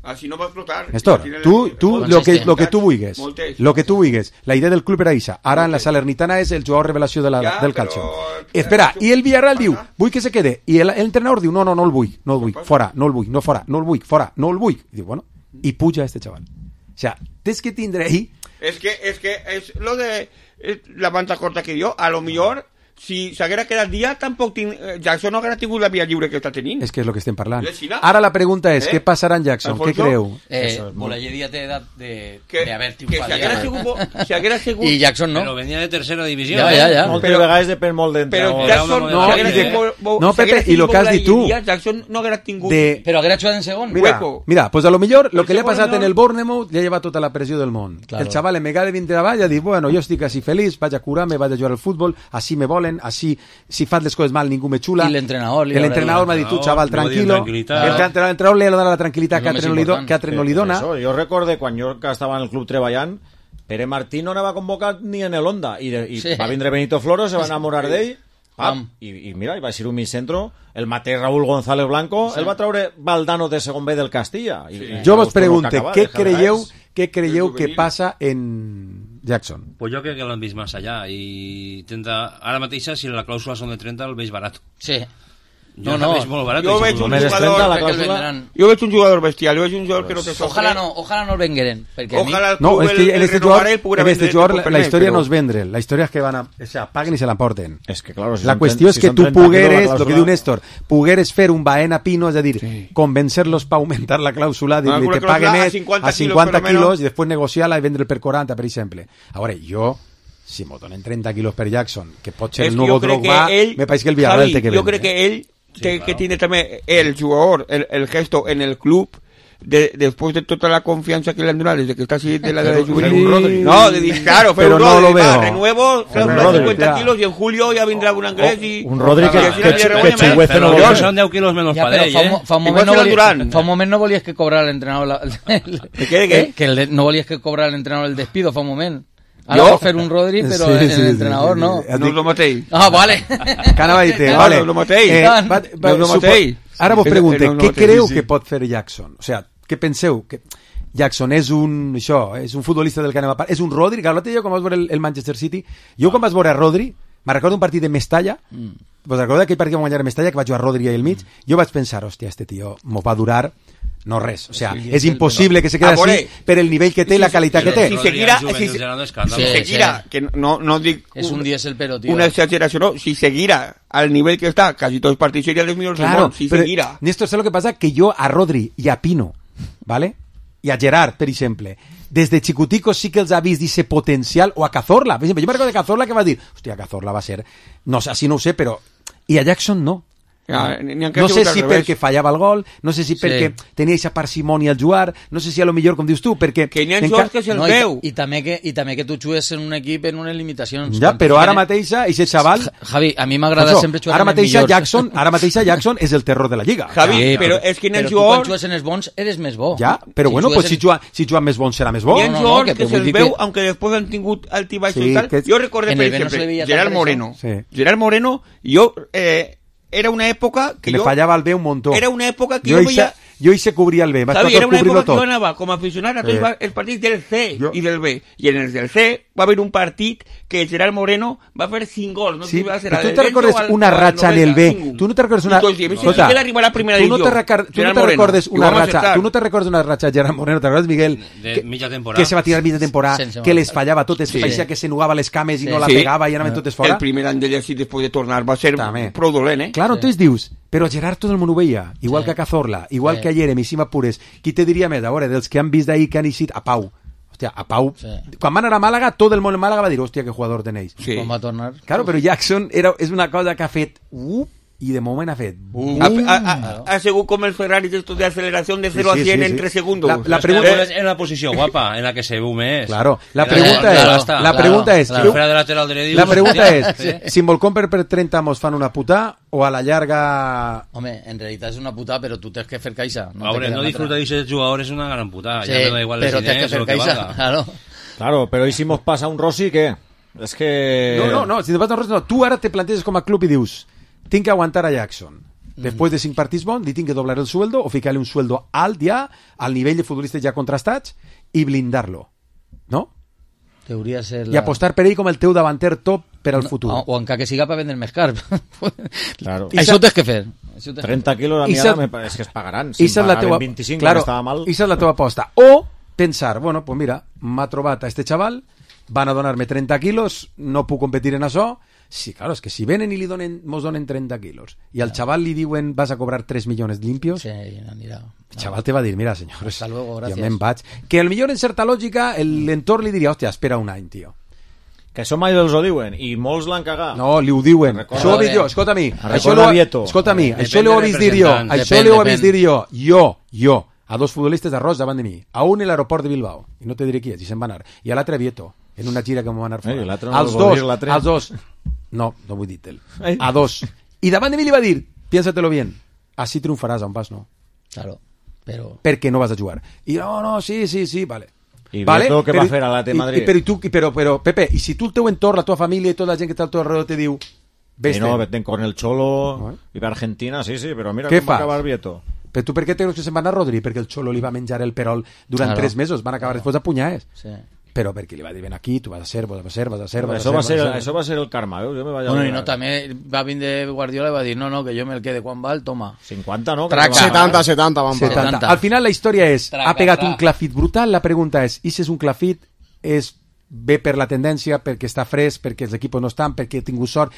Així no va explotar. Néstor, Tiene tu, la- tu moltes lo que, lo que oportunitats, tu vulguis, moltes. lo que tu vulguis. La idea del club era ixa. Ara en la Salernitana és el jugador revelació de la, Ja, del però- calcio. Espera, i el Villarreal diu, vull que se quede. I el- l'entrenador diu, no, no, no el vull, no el vull, fora, no el vull, no fora, no el vull, fora, no el vull. I diu, bueno, i puja este chaval. O sea, tens que tindre ahí... Es que, es que, es lo de eh, la banda corta que dio, a lo millor, si s'haguera quedat dia, tampoc tin, eh, Jackson no haguera tingut la via lliure que està tenint. És que és el que estem parlant. És Xina. Ara la pregunta és, Eh? què passarà en Jackson? Què Alfonso? creu? Eh, Bolelleria té edat de, Que- de haver que triomfat. si haguera sigut bo- si haguera sigut- I Jackson no. Però venia de tercera divisió. Ja, eh? ja, ja. Moltes Però- vegades depèn molt d'entrenador. Però Jackson, No, si haguera i de- sigut bo- no, si haguera Pepe, i lo sigut que has bo dit tu. la Lliga, Jackson no haguera tingut... De- Però haguera jugat en segon. Mira, Hueco. mira, pues a lo millor lo El que li ha segon passat no- en el Bournemouth li ha llevat tota la pressió del món. Claro. El xaval en vegada de vindre avall ha dit, bueno, jo estic així feliç, vaig a curar-me, vaig a jugar al futbol, així me volen, així, si fas les coses mal ningú me xula. I l'entrenador li El haurà entrenador dit, m'ha dit, tu, "No, xaval, li va dir tranquilo. tranquil·litat". El entrenador, l'entrenador li ha donat la tranquil·litat És que lo altre més no li, do, important. que altre no li dona. Això, jo recorde quan jo que estava en el club treballant, Pere Martí no anava convocat ni en el Honda, i, de, i Sí. va vindre Benito Floro, se va enamorar d'ell, pam, Pam. i, i mira, i va ser un mig centro, el mateix Raúl González Blanco, sí. El va traure Valdano de segon B del Castilla. I, i Jo vos vos torno a pregunte, acabar, què deja de creieu, res. què creieu El que juvenil. passa en Jackson? Pues jo crec que l'han vist més allà i intenta... Ara mateixa, si la clàusula són de trenta, el veig barat. Sí. Jo No, el no. veig molt barat. Jo i veig segur. un Només es jugador... trenta la Crec que el clàusula. vendran. Jo veig un jugador bestial, jo veig un jugador que no té sofre. Ojalà no, ojalà no el vengueren. Perquè a mi... Ojalà el No, club és que el- en el este renovarà jugador, i poguera en este vendre jugador el la, per la més, historia però- no es vendre, la historia es que van a, o sea, paguen i se l'emporten. És que, claro, si La són qüestió tren- és si que són tu trenta quilos la pogueres, el que clàusula- diu Néstor, pogueres fer un Baena Pino, és a dir, sí. convencer-los per augmentar la clàusula, dir-li Una que pague clàusula a més cinquanta a cinquanta quilos, per lo quilos menos. i després negociar-la i vendre per quaranta, per exemple. A veure, jo, si m'ho donen trenta quilos per Jackson, que pot ser És el que nou jo crec Drogba, que ell- me pareix que el Villarreal Javi, té que jo vendre. crec que ell té que tiene també el jugador, el, el gesto en el club de, después de toda la confianza que le han dado desde que está así de la de juvenil. Rodri. No, de, de, claro, pero no Rodri, lo veo. Va, renuevo, cincuenta kilos y en julio ya vendrá un inglés y... Un Rodri que, que, que, que xigüece no vol. Són deu quilos menys per ell, eh? Fa un moment no volies, fa un moment no volies que cobrar l'entrenador... La, el, ¿Qué, qué? Que el, no volies que cobrar l'entrenador el despido, fa un moment. Ara vol fer un Rodri, però sí, sí, l'entrenador sí, sí, sí. no. No és el mateix. Ah, vale. Canava dit, no, vale. No és el mateix. Eh, va, va, no és el mateix. Ara vos pregunte, no, no, què no, creu sí, sí. que pot fer Jackson? O sigui, què penseu? Que Jackson és un, això, és un futbolista del que anem a parlar, és un Rodri, que l'altre dia quan vas veure el, el Manchester City, jo quan vas veure a Rodri, me'n recordo un partit de Mestalla, mm. vos recordeu aquell partit que vam guanyar a Mestalla, que va jugar Rodri ahí al mig, mm. jo vaig pensar, hòstia, este tio m'ho va durar no res, o sea, sí, és impossible que se quede així per el nivell que té i la qualitat que té. Si seguirà, si, si, si seguirà, que no, no dic és un diésel però, tio. Una exageració, no, si seguirà al nivell que està, quasi tots els partits serien els millors claro, del món, si però, seguirà. Néstor, ¿sabes lo que pasa? Que yo a Rodri y a Pino, ¿vale? Y a Gerard, per exemple, des de xicoticos sí que els ha vist ese potencial, o a Cazorla, per exemple, jo me recordo de Cazorla que va dir, hòstia, Cazorla va ser, no sé, así no ho sé, però, i a Jackson no. Ja, no sé si perquè fallava el gol, no sé si perquè sí. tenia aquesta parsimònia al jugar, no sé si a lo millor, com dius tu, perquè... Que n'hi ha jugadors que se'l no, veu. I, i, també que, I també que tu jugues en un equip en unes limitacions. Ja, però ara mateixa, ese xaval... Javi, a mi m'agrada no, sempre jugar ara amb els millors. Jackson, ara mateixa Jackson és el terror de la lliga. Javi, sí, però, però és que n'hi ha jugadors... Però tu quan jugues en els bons eres més bo. Ja, però si bueno, pues en... si jugar si jugar més bons serà més bo. Hi ha jugadors no, no, que, que se'ls veu, que... aunque després han tingut altibaix sí, i tal. Que... Jo recordé, per exemple, no Gerard Moreno. Sí. Gerard Moreno, jo... Eh, era una època que, que jo... le fallava el bé un muntó. Era una època que jo, jo veia... Jo hi sé cobrir el B, vaig Sabi, era una època tot. que jo anava com a aficionat a tots eh. els partits del C jo... i del B. I en els del C va haver un partit que Gerard Moreno va fer cinc gols. No sí, va ser tu te recordes al, una ratxa en el B? Cinc. Tu no te recordes una... Escolta, si arribar a la primera tu no te, recar... tu no te recordes una ratxa... Tu no te recordes una ratxa de Gerard Moreno, te recordes, Miguel? De que, mitja temporada. Que se va tirar mitja temporada, que les fallava totes, sí. Parecia que se nugava les cames i sí. no la pegava i anaven totes fora. El primer any d'ell així després de tornar va ser prou dolent, eh? Claro, entonces dius, però Gerard tot el món ho veia, igual que a Cazorla, igual que a Jeremy, si m'apures. Qui te diria més, a veure, dels que han vist d'ahir que han eixit a Pau? Hòstia, a Pau, sí. Quan van anar a Màlaga, tot el món en Màlaga va dir, hòstia, que jugador tenéis. Sí. Com va tornar? Claro, però Jackson era, és una cosa que ha fet... Uh, i de moment ha fet... Uh, ha, ha, ha, ha sigut com el Ferrari d'estos de aceleración de cero sí, sí, a cien sí, sí. en tres segundos. La, la pregunta es en la posición guapa, en la que se ve més. Claro, la pregunta es... La, la pregunta es... La, la, de lateral de la pregunta es, sí. Si en Volcomper per trenta mos fan una puta o a la llarga... Home, en realitat és una puta, però tu tens que fer caixa. No, Ahora, no disfrutar d'aquests jugadors és una gran puta. Sí, ja me da igual però tens que fer caixa, claro. Claro, però i si mos passa un Rossi, què? És que... No, no, no, si te passa un Rossi, no. Tu ara te planteges com a club i dius, tinc que aguantar a Jackson. Después de cinc partits bons, li tinc que doblar el sueldo o ficar-li un sueldo alt ja, al nivell de futbolistes ja contrastats, i blindar-lo. ¿No? Hauria ser la... I apostar per ell com el teu davanter top per al no, futur. O, o encara que siga per vendre més car. Claro. Això ho tens que fer. trenta quilos a mi ara és que es pagaran. Si em pagaven vint-i-cinc, claro, estava mal. Esa és la teva aposta. O pensar, bueno, pues mira, m'ha trobat a este chaval, van a donar-me trenta quilos, no puc competir en això. Sí, claro, es que si venen i li donen, mos donen trenta quilos i al chaval li diuen vas a cobrar tres milions limpios, sí, anirà. El chaval te va dir, mira, senyors, hasta luego, gracias. Jo me'n vaig. Que al millor en certa lògica l'entorn li diria, hòstia, espera un any, tio. Que això mai els ho diuen, i molts l'han cagat. No, li ho diuen. Recorda, això ho he vist jo, escolta a mi. Això lo, escolta a mi, depende, això l'ho he vist dir jo. Això l'ho he vist dir jo. Jo, jo, a dos futbolistes d'arròs davant de mi. A un en l'aeroport de Bilbao, i no te diré qui és, i se'n va anar. I a l'altre a Vieto, en una gira que m'ho va anar fora. Eh, no als dos, als dos... No, no vull dir-te'l. A dos. I davant de mi li va dir, piénsatelo bien, así triunfaràs, on vas, no? Claro, però... Perquè no vas a jugar. I no, no, sí, sí, sí, vale. I vale? Vieto què va fer a la T Madrid? I, però, tu, però, però, Pepe, i si tu el teu entorn, la tua família i tota la gent que està al teu alrededor te diu... Vés no, vete con el Cholo, no, eh? I va a Argentina, sí, sí, però mira com va acabar Vieto. Però tu per què creus que se'n van a Rodri? Perquè el Cholo li va menjar el perol durant claro. tres mesos, van acabar después a punyades. Sí. Però perquè li va dir, ven aquí, tu vas a ser, vas a ser, vas a ser, vas això a ser, va ser, això va ser el karma, eh? Jo me vaig bueno, i no, també va vindre Guardiola i va dir, no, no, que jo me el quede, quan val, toma. cinquanta, no? Traca, setanta, setanta, van setanta. Al final la història és, traca, ha pegat traca. un clafit brutal, la pregunta és, i si és un clafit, és ve per la tendència, perquè està fresc, perquè els equipos no estan, perquè ha tingut sort,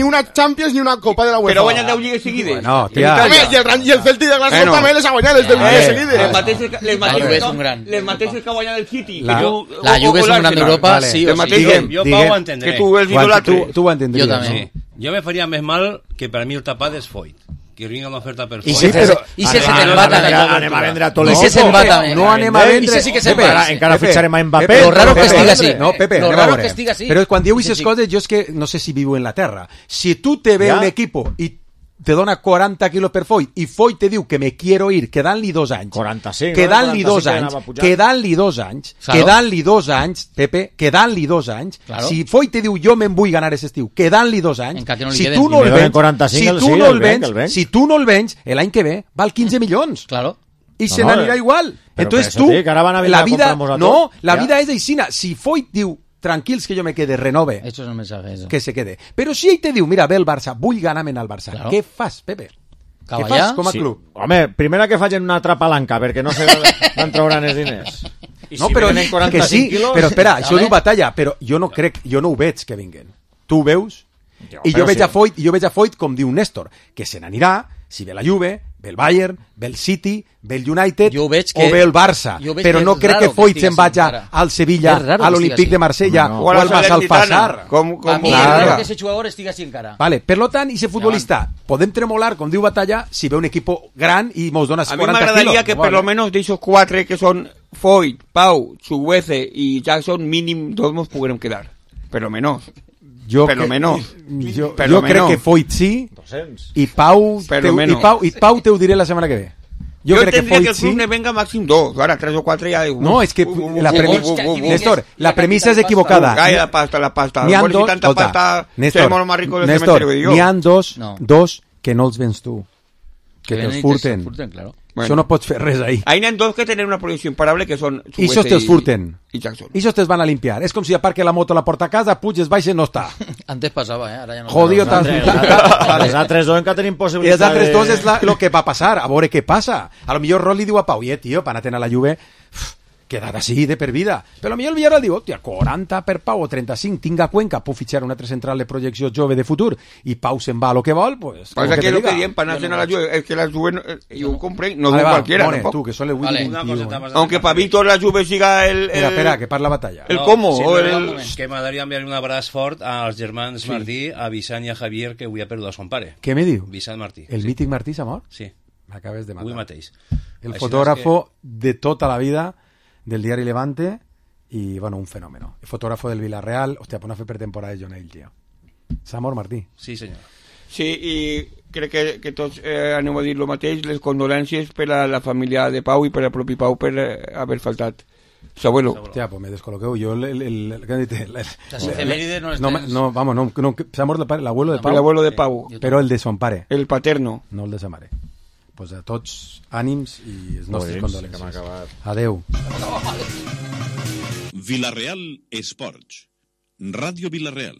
ni una Champions ni una Copa de la UEFA. Però guanyen deu lligues seguides. Bueno, tia. Home, i el, i el Celtic de Glasgow Bueno. també les ha guanyat, les deu Eh, lligues eh, seguides. Les mateixes, les La Juve és mateixes, un gran. les mateixes que ha guanyat el City. La- que tu- La o- Juve o és un gran l'Arsenal. d'Europa, Vale. sí Les o sí. mateixes, Digue'm, Jo, digue'm. Pau, ho entendré. que tu els Tu, tu, idolatres. tu ho entendries. Jo també. Sí. Jo me faria més mal que per a mi el tapat és Foyt. que vinga una oferta per I fora. si però, i si se te'n va també. Anem a vendre a tot I si se'n va també. No anem a vendre. I si sí que se ve. Encara fitxarem a Mbappé. Lo raro que estiga així. No, Pepe, Lo anem a raro veure. que estiga així. Però quan diu aquestes coses, jo és que no sé si vivo en la terra. Si tu te ve un equipo i te dona quaranta quilos per Foyt i Foyt te diu que me quiero ir, quedant-li dos anys, quaranta-cinc, quedant-li no? dos anys, quedant-li dos anys, Claro. quedant-li dos anys, Pepe, quedant-li dos anys, Claro. si Foyt te diu jo me'n vull ganar aquest estiu, quedant-li dos anys, Encara que no li si queden. tu no I el me donen vens, quaranta-cinc, si el tu sí, no el el venc, vens, el venc. si tu no el vens, l'any que ve val quinze milions. Claro. I se No, no, n'anirà eh. igual. Però Entonces per tu, això dic, ara van a venir la a vida, comprar-nos a no, tot. la Ja. vida és aixina. Si Foyt diu, tranquils que jo me quede, renove, Esto es un mensaje, eso. que se quede. Però si ell te diu, mira, ve el Barça, vull ganar-me'n al Barça, Claro. què fas, Pepe? Què Cavallar? fas com a Sí. club? Home, primera que facin una trapalanca, perquè no sé d'on trauran els diners. I No, si però venen que quaranta-cinc sí, quilos... però espera, això Vale. diu Batalla, però jo no crec, jo no ho veig que vinguen. Tu ho veus? Jo, I però jo veig sí. a Foyt, i jo veig a Foyt com diu Néstor, que se n'anirà si ve la Juve, ve el Bayern, ve el City, ve el United Jo veig que- o ve el Barça. jo veig Però que no és crec raro que Foyt que se'n estiga vagi així, encara. al Sevilla, És raro a que l'Olímpic estiga de Marsella No. o al Massalfassar. Com, A com mi Clar. és raro que ese jugador estigui així encara. Vale, per lo tant, i ese futbolista podem tremolar, com diu Batalla, si ve un equip gran i mos dona A mí me quaranta agradaría quilos. que por Vale. lo menos de esos cuatro que son Foyt, Pau, Chuguece y Jackson, mínimo dos nos pudieron quedar. Pero menos. Jo Per lo que- menos. Jo, Per jo lo crec menos. que Foyt sí doscents. i Pau, Per te, lo i menos. Pau, i Pau te ho diré la setmana que ve. Yo, Jo crec que tendría que, Foyt el club sí. me venga máximo dos. Ahora tres o cuatro ya. No, és que la premissa... Llavors, que- Néstor, la la premissa és capital equivocada. Cae la pasta, la pasta. N'hi ha Bueno, si dos... tanta escolta, pasta, Néstor, seremos los más ricos del Néstor, cementerio que digo. n'hi ha dos, No. dos que no els vens tu. Que venen te'ls i furten. te'ls furten, claro. Bueno. Això no pots fer res ahí. Ahí hay dos que tener una proyección imparable que son I Chuguece això te'ls furten. y Jackson. I això te'ls van a limpiar. És com si aparque la moto a la porta a casa, puges, baixes, no està. Antes pasaba, ¿eh? Ahora ya no. Jodido tan... Els altres dos encara tenim I possibilitat els altres de... dos és la, lo que va passar, a veure què passa. A lo millor Rol li diu a Pau, eh, tio, per anar a la Juve, uf, quedat així de per vida. Però a lo millor el Villarreal diu, hòstia, quaranta per Pau o trenta-cinc, tinc a Cuenca, puc fitxar un altre central de projecció jove de futur, i Pau se'n va a lo que vol, pues... Pues como aquí te lo diga. que dicen para nacer a la Juve es que la Juve no, eh, yo compré, no Vale, digo va, cualquiera. More, tampoco. tú, que son el Vale, Willy una veintiuno. coseta más de Aunque la para Víctor la Juve siga el... el Espera, espera, que parla batalla. el cómo, sí, o no, el... no, un moment, que m'agradaria enviar un abraç fort als germans Martí, a Vicent i a Javier, que avui ha perdut a son pare. Què me diu? Vicent Martí. El sí. mític Martí s'ha mort? Sí, M'acabes de matar. avui mateix. El Així fotógrafo de tota la vida del diari Levante y, bueno, un fenómeno. El fotógrafo del Villarreal, hostia, pues no fer per temporada de John Hale, tío. S'ha mort, Martí. Sí, senyor. Sí, i crec que, que tots eh, anem a dir el mateix, les condolències per a la família de Pau i per al propi Pau per eh, haver faltat s'abuelo. Hostia, pues me descoloqueu. Yo, el... el, el, el, el, el, el Las efemérides no les no, tens. no, vamos, no, no, s'ha mort el, pare, l'abuelo de Pau. L'abuelo de Pau. Però el de son pare. El paterno. No el de sa mare. Pues a tots ànims i els nostres Molt bé, condolències. que m'ha acabat. Adeu. Villarreal Esports. Ràdio Villarreal.